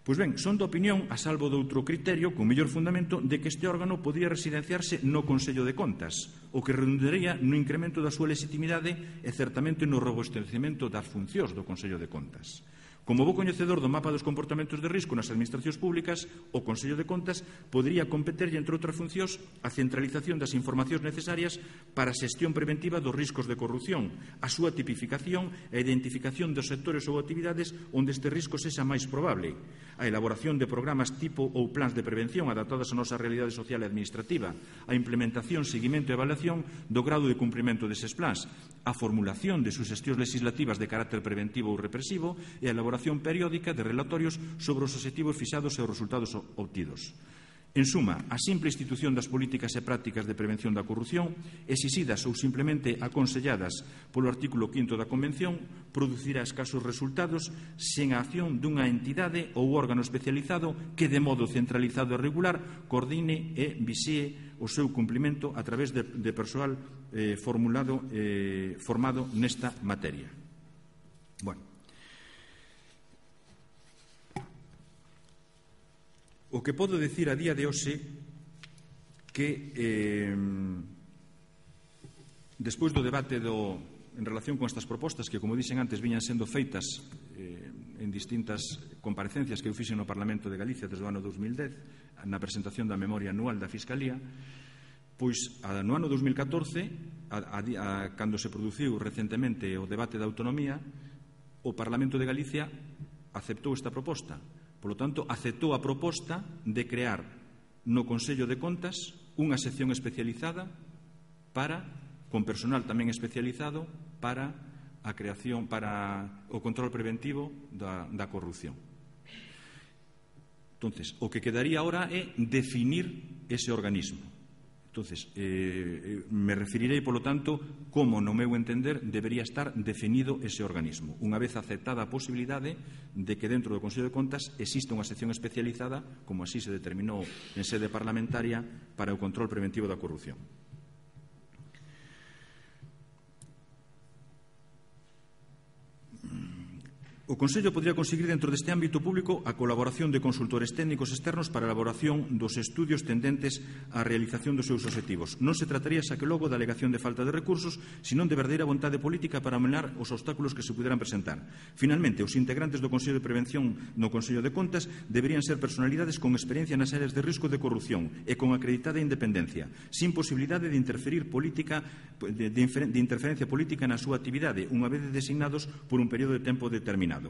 Pois ben, son da opinión, a salvo de outro criterio, con mellor fundamento, de que este órgano podría residenciarse no Consello de Contas, o que redundaría no incremento da súa legitimidade e certamente no robustecemento das funcións do Consello de Contas. Como bo coñecedor do mapa dos comportamentos de risco nas administracións públicas, o Consello de Contas podería competerlle, entre outras funcións, a centralización das informacións necesarias para a xestión preventiva dos riscos de corrupción, a súa tipificación e a identificación dos sectores ou actividades onde este risco sexa máis probable, a elaboración de programas tipo ou plans de prevención adaptados á nosa realidade social e administrativa, a implementación, seguimento e evaluación do grado de cumprimento deses plans, a formulación de suxestións legislativas de carácter preventivo ou represivo e a elaboración periódica de relatorios sobre os obxectivos fixados e os resultados obtidos. En suma, a simple institución das políticas e prácticas de prevención da corrupción, exixidas ou simplemente aconselladas polo artículo quinto da Convención, producirá escasos resultados sen a acción dunha entidade ou órgano especializado que, de modo centralizado e regular, coordine e vixíe o seu cumprimento a través de, de persoal eh, formulado, eh, formado nesta materia. Bueno, o que podo decir a día de hoxe que eh, despois do debate do, en relación con estas propostas que, como dixen antes, viñan sendo feitas eh, en distintas comparecencias que eu fixen no Parlamento de Galicia desde o ano dos mil dez na presentación da memoria anual da Fiscalía, pois no ano dos mil catorce, a, a, a, cando se produciu recentemente o debate da autonomía, o Parlamento de Galicia aceptou esta proposta. Polo tanto, aceptou a proposta de crear no Consello de Contas unha sección especializada para, con personal tamén especializado, para a creación, para o control preventivo da, da corrupción. Entonces, o que quedaría ahora é definir ese organismo. Entonces, eh, me referirei, polo tanto, como, no meu entender, debería estar definido ese organismo. Unha vez aceptada a posibilidade de que dentro do Consello de Contas exista unha sección especializada, como así se determinou en sede parlamentaria, para o control preventivo da corrupción. O Consello podría conseguir dentro deste ámbito público a colaboración de consultores técnicos externos para a elaboración dos estudios tendentes á realización dos seus obxectivos. Non se trataría xa que logo da alegación de falta de recursos, senón de verdadeira vontade política para amenar os obstáculos que se puderan presentar. Finalmente, os integrantes do Consello de Prevención no Consello de Contas deberían ser personalidades con experiencia nas áreas de risco de corrupción e con acreditada independencia, sin posibilidade de interferir política, de, de, de interferencia política na súa actividade, unha vez designados por un período de tempo determinado.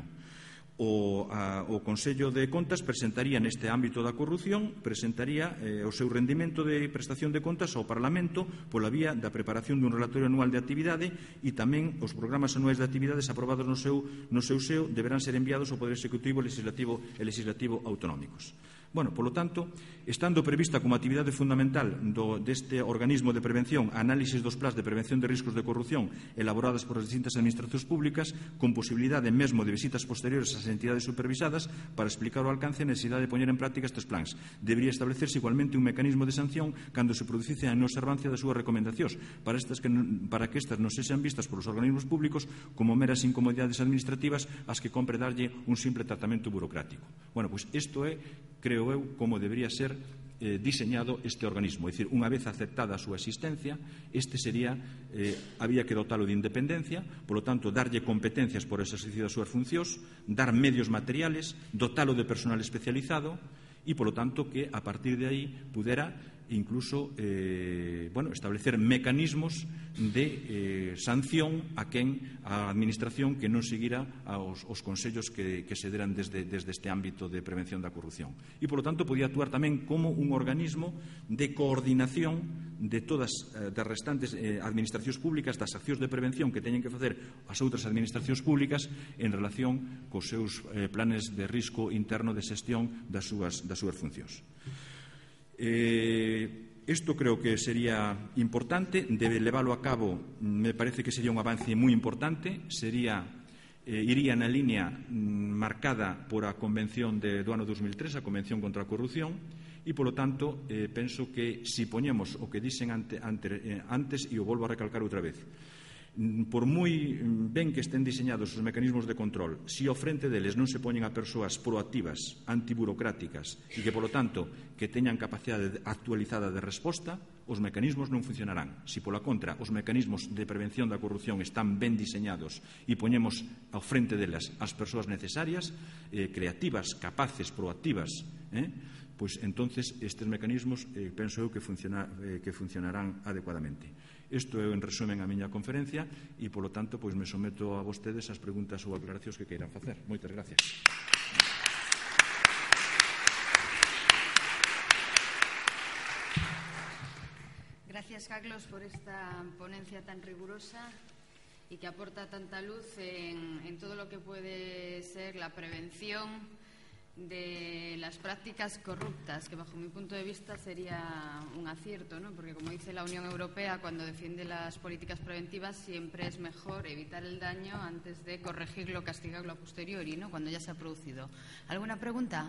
O, a, o Consello de Contas presentaría neste ámbito da corrupción presentaría eh, o seu rendimento de prestación de contas ao Parlamento pola vía da preparación dun relatorio anual de actividade e tamén os programas anuais de actividades aprobados no seu, no seu seo deberán ser enviados ao Poder Executivo, Legislativo e Legislativo autonómicos. Bueno, polo tanto, estando prevista como actividade fundamental do, deste organismo de prevención análisis dos plans de prevención de riscos de corrupción elaboradas por as distintas administracións públicas, con posibilidade mesmo de visitas posteriores ás entidades supervisadas para explicar o alcance e necesidade de poñer en práctica estes plans. Debería establecerse igualmente un mecanismo de sanción cando se producise a inobservancia das súas recomendacións, para, estas que, para que estas non sexan vistas polos organismos públicos como meras incomodidades administrativas ás que compre darlle un simple tratamento burocrático. Bueno, pois isto é, creo eu, como debería ser eh, diseñado este organismo. É dicir, unha vez aceptada a súa existencia, este sería, eh, había que dotalo de independencia, polo tanto, darlle competencias por exercicio das súas funcións, dar medios materiales, dotalo de personal especializado e, polo tanto, que a partir de aí pudera incluso eh, bueno, establecer mecanismos de eh, sanción a quen a administración que non seguira aos, os consellos que, que se deran desde, desde este ámbito de prevención da corrupción. E, polo tanto, podía actuar tamén como un organismo de coordinación de todas eh, das restantes eh, administracións públicas, das accións de prevención que teñen que facer as outras administracións públicas en relación cos seus eh, planes de risco interno de xestión das súas, das súas funcións. Eh, isto creo que sería importante, debe leválo a cabo, me parece que sería un avance moi importante, sería, eh, iría na línea mm, marcada por a Convención de, do ano dos mil tres, a Convención contra a Corrupción, e, polo tanto, eh, penso que si poñemos o que dixen ante, ante, eh, antes, e o volvo a recalcar outra vez, por moi ben que estén diseñados os mecanismos de control, se ao frente deles non se poñen a persoas proactivas, antiburocráticas e que, polo tanto, que teñan capacidade actualizada de resposta, os mecanismos non funcionarán. Se, pola contra, os mecanismos de prevención da corrupción están ben diseñados e poñemos ao frente delas as persoas necesarias, eh, creativas, capaces, proactivas, eh, pois entonces estes mecanismos eh, penso eu que, funciona, eh, que funcionarán adecuadamente. Isto é en resumen a miña conferencia e, polo tanto, pois me someto a vostedes as preguntas ou aclaracións que queiran facer. Moitas gracias. Gracias, Carlos, por esta ponencia tan rigurosa y que aporta tanta luz en, en todo lo que puede ser la prevención de las prácticas corruptas, que bajo mi punto de vista sería un acierto, ¿no? Porque, como dice la Unión Europea, cuando defiende las políticas preventivas siempre es mejor evitar el daño antes de corregirlo o castigarlo a posteriori, ¿no? Cuando ya se ha producido. ¿Alguna pregunta?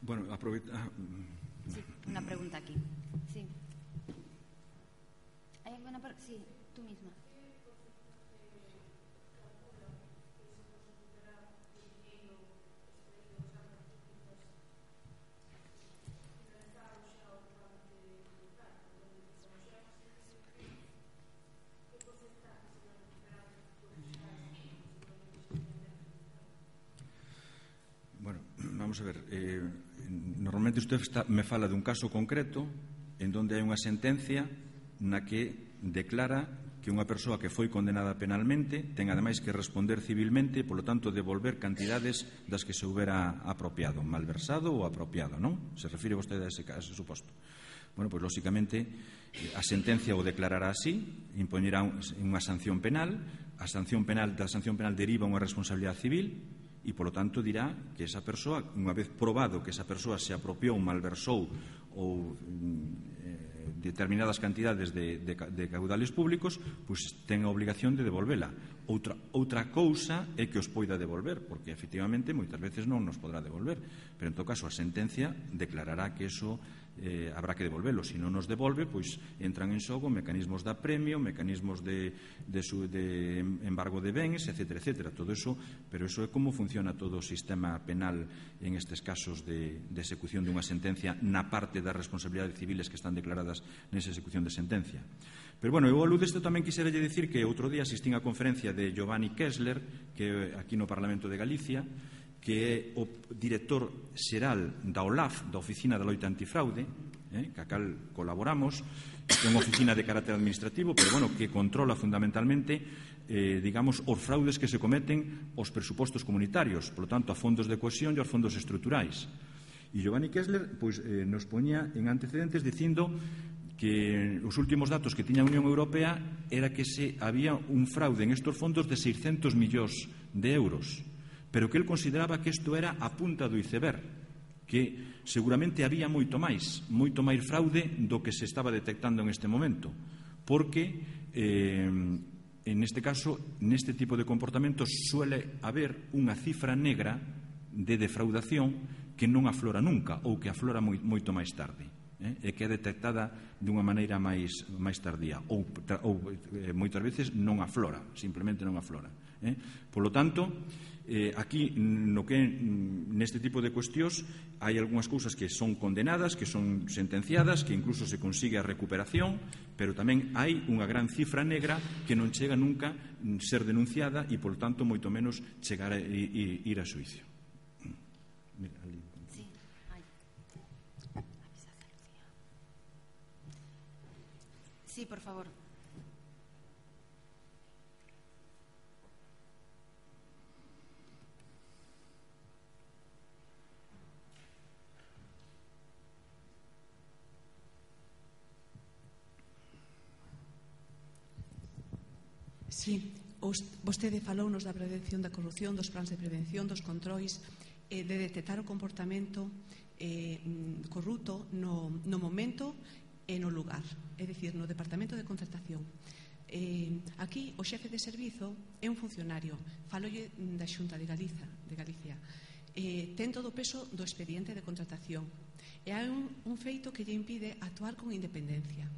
Bueno, aprovecha... Ah, sí, una pregunta aquí. Sí. ¿Hay alguna pregunta? Sí, tú misma. Bueno, vamos a ver. Eh, normalmente usted está, me fala dun caso concreto en donde hai unha sentencia na que declara que unha persoa que foi condenada penalmente ten ademais que responder civilmente e, polo tanto, devolver cantidades das que se houbera apropiado, malversado ou apropiado, non? Se refire vostede a ese, a ese suposto. Bueno, pois, lóxicamente, a sentencia o declarará así, impoñerá unha sanción penal, a sanción penal da sanción penal deriva unha responsabilidade civil e, polo tanto, dirá que esa persoa, unha vez probado que esa persoa se apropiou, malversou ou eh, determinadas cantidades de, de, de caudales públicos, pois ten a obligación de devolvela. Outra, outra cousa é que os poida devolver, porque, efectivamente, moitas veces non nos podrá devolver, pero, en todo caso, a sentencia declarará que eso eh, habrá que devolvelo. Se non nos devolve, pois entran en xogo mecanismos de apremio, mecanismos de, de, su, de embargo de bens, etcétera, etcétera. Todo eso, pero eso é como funciona todo o sistema penal en estes casos de, de execución dunha sentencia na parte das responsabilidades civiles que están declaradas nesa execución de sentencia. Pero, bueno, eu ao luz desto tamén quixera lle dicir que outro día asistín á conferencia de Giovanni Kessler, que aquí no Parlamento de Galicia, que é o director xeral da O L A F, da Oficina da Loita Antifraude, eh, que a cal colaboramos, que é unha oficina de carácter administrativo, pero, bueno, que controla fundamentalmente, eh, digamos, os fraudes que se cometen aos presupostos comunitarios, por lo tanto, a fondos de cohesión e aos fondos estruturais. E Giovanni Kessler, pois, eh, nos poñía en antecedentes dicindo que os últimos datos que tiña a Unión Europea era que se había un fraude en estos fondos de seiscentos millóns de euros, pero que el consideraba que isto era a punta do iceberg, que seguramente había moito máis, moito máis fraude do que se estaba detectando en este momento, porque eh, en este caso, neste tipo de comportamentos suele haber unha cifra negra de defraudación que non aflora nunca ou que aflora moi, moito máis tarde, eh? e que é detectada de unha maneira máis, máis tardía ou, ou eh, moitas veces non aflora, simplemente non aflora. Eh? Por lo tanto, eh, aquí no que neste tipo de cuestións hai algunhas cousas que son condenadas, que son sentenciadas, que incluso se consigue a recuperación, pero tamén hai unha gran cifra negra que non chega nunca ser denunciada e, por tanto, moito menos chegar a ir a xuicio. Mira, ali. Sí, por favor. Sí, vostede falounos da prevención da corrupción, dos plans de prevención, dos controis, eh, de detectar o comportamento eh, corrupto no, no momento e no lugar, é dicir, no Departamento de Contratación. Eh, aquí o xefe de servizo é un funcionario, falolle da Xunta de Galiza, de Galicia, eh, ten todo o peso do expediente de contratación e hai un, un feito que lle impide actuar con independencia,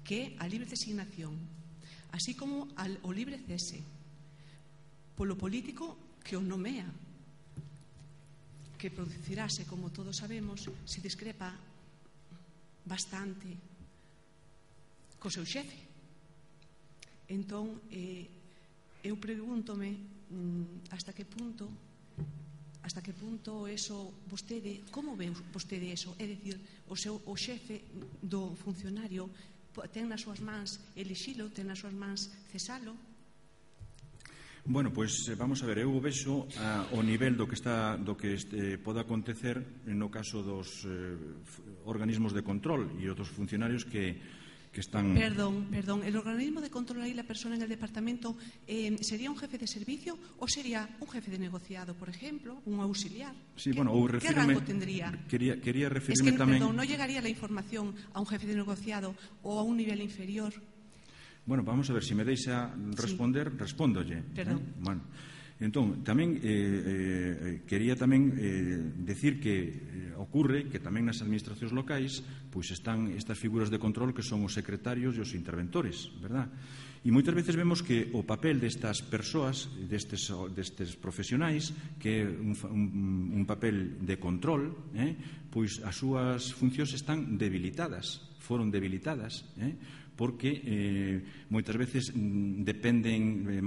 que é a libre designación, así como al, o libre cese polo político que o nomea, que producirase, como todos sabemos, se discrepa bastante co seu xefe. Entón, eh, eu pregúntome mm, hasta que punto hasta que punto eso vostede, como ve vostede eso? É dicir, o seu o xefe do funcionario ten nas súas mans elixilo, ten nas súas mans cesalo? Bueno, pois pues, vamos a ver, eu vexo a, o nivel do que está do que este, pode acontecer no caso dos eh, organismos de control e outros funcionarios que, que están... Perdón, perdón, el organismo de control aí, la persona en el departamento, eh, ¿sería un jefe de servicio o sería un jefe de negociado, por ejemplo, un auxiliar? Sí, ¿Qué, bueno, ou ¿qué refírme, rango tendría? Quería, quería referirme es que, tamén... Perdón, ¿no llegaría la información a un jefe de negociado o a un nivel inferior? Bueno, vamos a ver, se si me deixa responder, sí. Respóndolle. Perdón. Eh? Bueno, entón, tamén eh, eh, quería tamén eh, decir que eh, ocurre que tamén nas administracións locais pois están estas figuras de control que son os secretarios e os interventores, verdad? E moitas veces vemos que o papel destas persoas, destes, destes profesionais, que é un, un, un papel de control, eh, pois as súas funcións están debilitadas, foron debilitadas, eh? porque eh, moitas veces mm, dependen eh,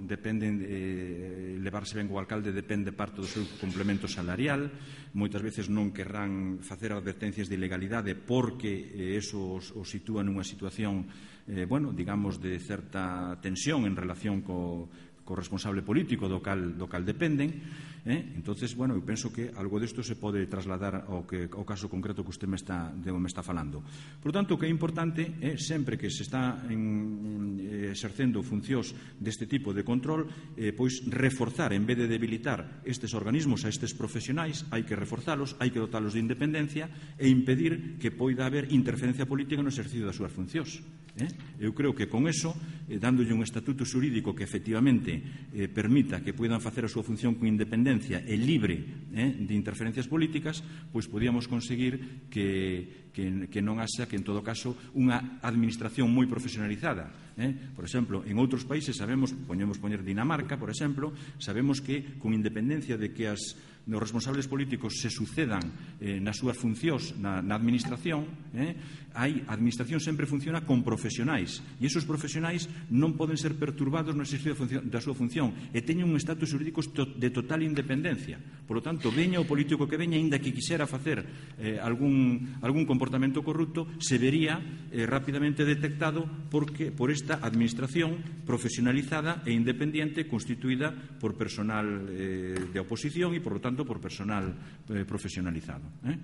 dependen eh, levarse ben o alcalde depende parte do seu complemento salarial, moitas veces non querrán facer advertencias de ilegalidade porque eh, eso os, os sitúa nunha situación eh, bueno, digamos de certa tensión en relación co co responsable político do cal, do cal dependen, eh? Entonces, bueno, eu penso que algo desto se pode trasladar ao, que, ao caso concreto que usted me está, de, me está falando. Por tanto, o que é importante é sempre que se está en, eh, exercendo funcións deste tipo de control, eh, pois reforzar, en vez de debilitar estes organismos a estes profesionais, hai que reforzalos, hai que dotalos de independencia e impedir que poida haber interferencia política no exercicio das súas funcións. Eh? Eu creo que con eso, eh, dándolle un estatuto xurídico que efectivamente eh, permita que poidan facer a súa función con independencia e libre eh, de interferencias políticas, pois podíamos conseguir que, que, que non haxa que, en todo caso, unha administración moi profesionalizada. Eh? Por exemplo, en outros países sabemos, poñemos poñer Dinamarca, por exemplo, sabemos que con independencia de que as os responsables políticos se sucedan eh, nas súas funcións na, na administración, eh, hai, a administración sempre funciona con profesionais e esos profesionais non poden ser perturbados no exercicio da súa función e teñen un estatus xurídico de total independencia. Por lo tanto, veña o político que veña, aínda que quixera facer eh, algún, algún comportamento corrupto, se vería eh, rapidamente detectado porque, por esta administración profesionalizada e independiente constituída por personal eh, de oposición e, por lo tanto, por personal eh, profesionalizado. Eh?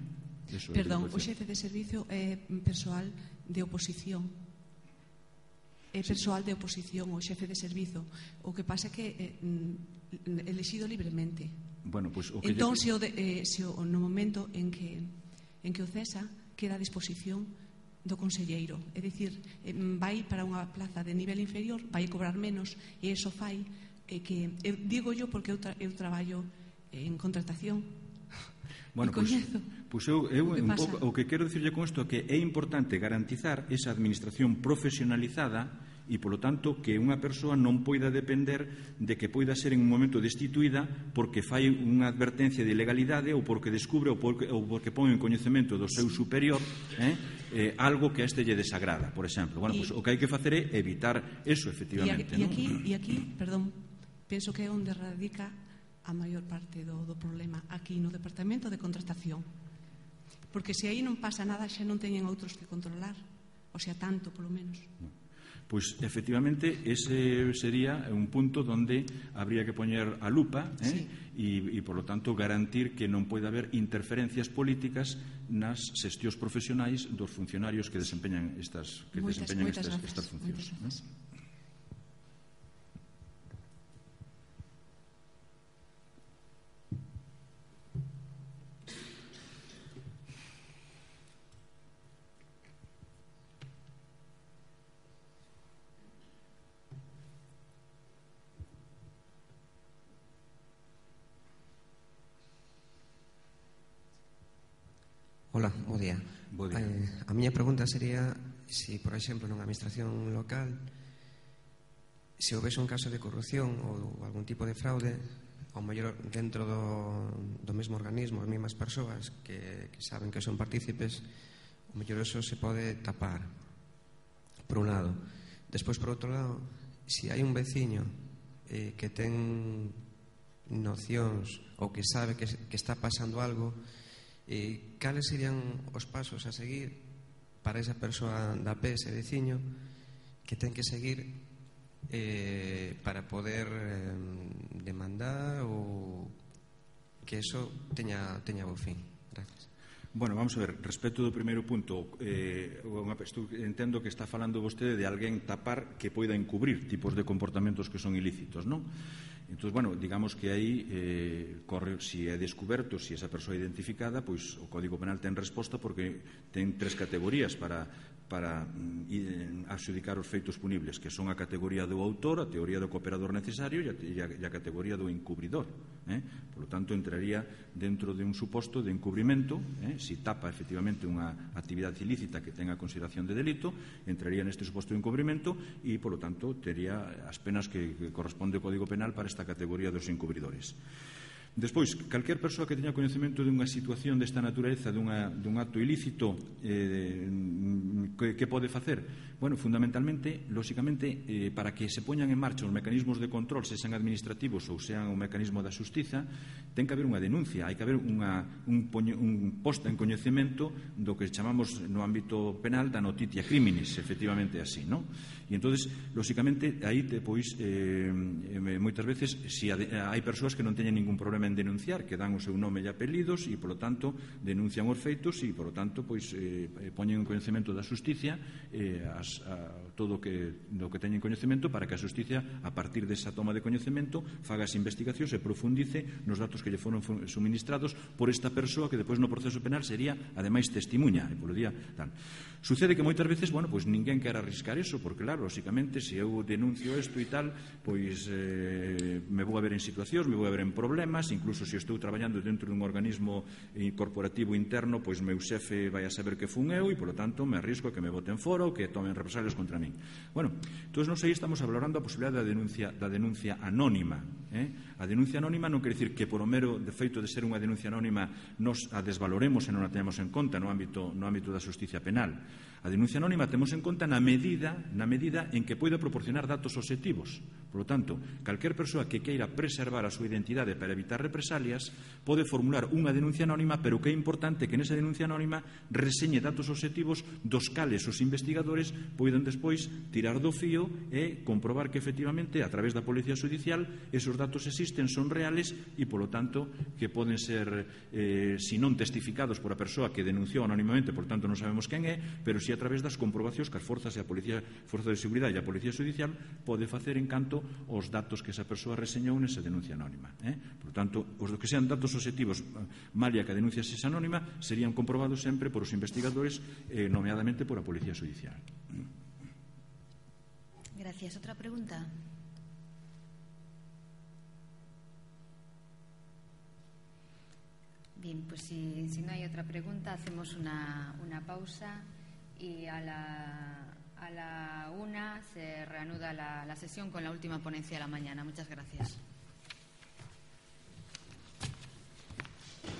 Eso Perdón, o xefe de servicio é eh, persoal de oposición. É persoal de oposición, o xefe de servizo. O que pasa é que eh, elexido libremente. Bueno, pues, o que entón, lle... se, o de, eh, se o, no momento en que, en que o cesa, queda a disposición do conselleiro. É dicir, eh, vai para unha plaza de nivel inferior, vai cobrar menos, e iso fai eh, que, eu digo yo porque eu, tra eu traballo en contratación. Bueno, pois pues, pues eu, eu un pouco, o que quero dicirlle con isto é que é importante garantizar esa administración profesionalizada e, polo tanto, que unha persoa non poida depender de que poida ser en un momento destituída porque fai unha advertencia de ilegalidade ou porque descubre ou porque, ou porque pon en coñecemento do seu superior eh, eh, algo que a este lle desagrada, por exemplo. Bueno, pues, o que hai que facer é evitar eso, efectivamente. E aquí, ¿no? aquí, perdón, penso que é onde radica a maior parte do, do problema aquí no Departamento de Contratación, porque se aí non pasa nada xa non teñen outros que controlar, o sea, tanto polo menos. Pois, efectivamente, ese sería un punto donde habría que poñer a lupa eh? sí. e, e, por lo tanto, garantir que non pode haber interferencias políticas nas xestións profesionais dos funcionarios que desempeñan estas, que moitas, desempeñan moitas estas, grazas, estas funcións. ¿No? Hola, bo día. Bo día. Eh, a miña pregunta sería se, por exemplo, nunha administración local se houvese un caso de corrupción ou algún tipo de fraude, ao mellor dentro do, do mesmo organismo, as mesmas persoas que, que saben que son partícipes, ao mellor eso se pode tapar, por un lado. Despois, por outro lado, se hai un veciño eh, que ten nocións ou que sabe que, que está pasando algo, Eh, cales serían os pasos a seguir para esa persoa da P, ese veciño, que ten que seguir eh, para poder eh, demandar ou que eso teña, teña bo fin? Gracias. Bueno, vamos a ver, respecto do primeiro punto, eh, entendo que está falando vostede de alguén tapar que poida encubrir tipos de comportamentos que son ilícitos, non? Entón, bueno, digamos que aí eh, corre, si é descuberto, si esa persoa é identificada, pois o Código Penal ten resposta porque ten tres categorías para, para mm, adxudicar os feitos punibles, que son a categoría do autor, a teoría do cooperador necesario e a, e a, e a categoría do encubridor. Eh? Por lo tanto, entraría dentro de un suposto de encubrimento, eh? si tapa efectivamente unha actividade ilícita que tenga consideración de delito, entraría neste suposto de encubrimento e, por lo tanto, tería as penas que, que corresponde ao Código Penal para esta categoría dos encubridores. Despois, calquer persoa que teña coñecemento dunha situación desta natureza, dunha, dun acto ilícito, eh, que, que pode facer? Bueno, fundamentalmente, lóxicamente, eh, para que se poñan en marcha os mecanismos de control, se sean administrativos ou sean o mecanismo da xustiza, ten que haber unha denuncia, hai que haber unha, un, poño, un posta en coñecemento do que chamamos no ámbito penal da notitia criminis, efectivamente así, non? E entonces, lóxicamente, aí pois, eh, moitas veces, si hai persoas que non teñen ningún problema en denunciar, que dan o seu nome e apelidos e, polo tanto, denuncian os feitos e, polo tanto, pois, eh, poñen en coñecemento da xusticia eh, as, a, todo o que, do que teñen coñecemento para que a xusticia, a partir desa toma de coñecemento, faga as investigacións e profundice nos datos que lle foron suministrados por esta persoa que depois no proceso penal sería, ademais, testimuña e polo día tal. Sucede que moitas veces, bueno, pois ninguén quer arriscar eso, porque claro, lóxicamente, se eu denuncio isto e tal, pois eh, me vou a ver en situacións, me vou a ver en problemas, incluso se estou traballando dentro dun organismo corporativo interno, pois meu xefe vai a saber que fun eu e, polo tanto, me arrisco a que me boten fora ou que tomen represalias contra min. Bueno, entón, non sei, estamos valorando a posibilidade da denuncia, da denuncia anónima. Eh? A denuncia anónima non quere dicir que por o mero defeito de ser unha denuncia anónima nos a desvaloremos e non a tenemos en conta no ámbito, no ámbito da xusticia penal. A denuncia anónima temos en conta na medida, na medida en que poida proporcionar datos obxectivos. Por Por lo tanto, calquer persoa que queira preservar a súa identidade para evitar represalias pode formular unha denuncia anónima, pero que é importante que nesa denuncia anónima reseñe datos obxectivos dos cales os investigadores poden despois tirar do fío e comprobar que efectivamente a través da Policía Judicial esos datos existen, son reales e polo tanto que poden ser eh, si non testificados por a persoa que denunciou anónimamente, por tanto non sabemos quen é, pero si a través das comprobacións que as forzas e a Policía, Forza de Seguridade e a Policía Judicial pode facer en canto os datos que esa persoa reseñou nesa denuncia anónima. Eh? Por tanto, os que sean datos obxectivos, malia que a denuncia sexa anónima, serían comprobados sempre por os investigadores, eh, nomeadamente por a Policía Judicial. Gracias. Otra pregunta. Bien, pues si, si no hay otra pregunta, hacemos una, una pausa y a la, a la una se reanuda la, la sesión con la última ponencia de la mañana. Muchas gracias.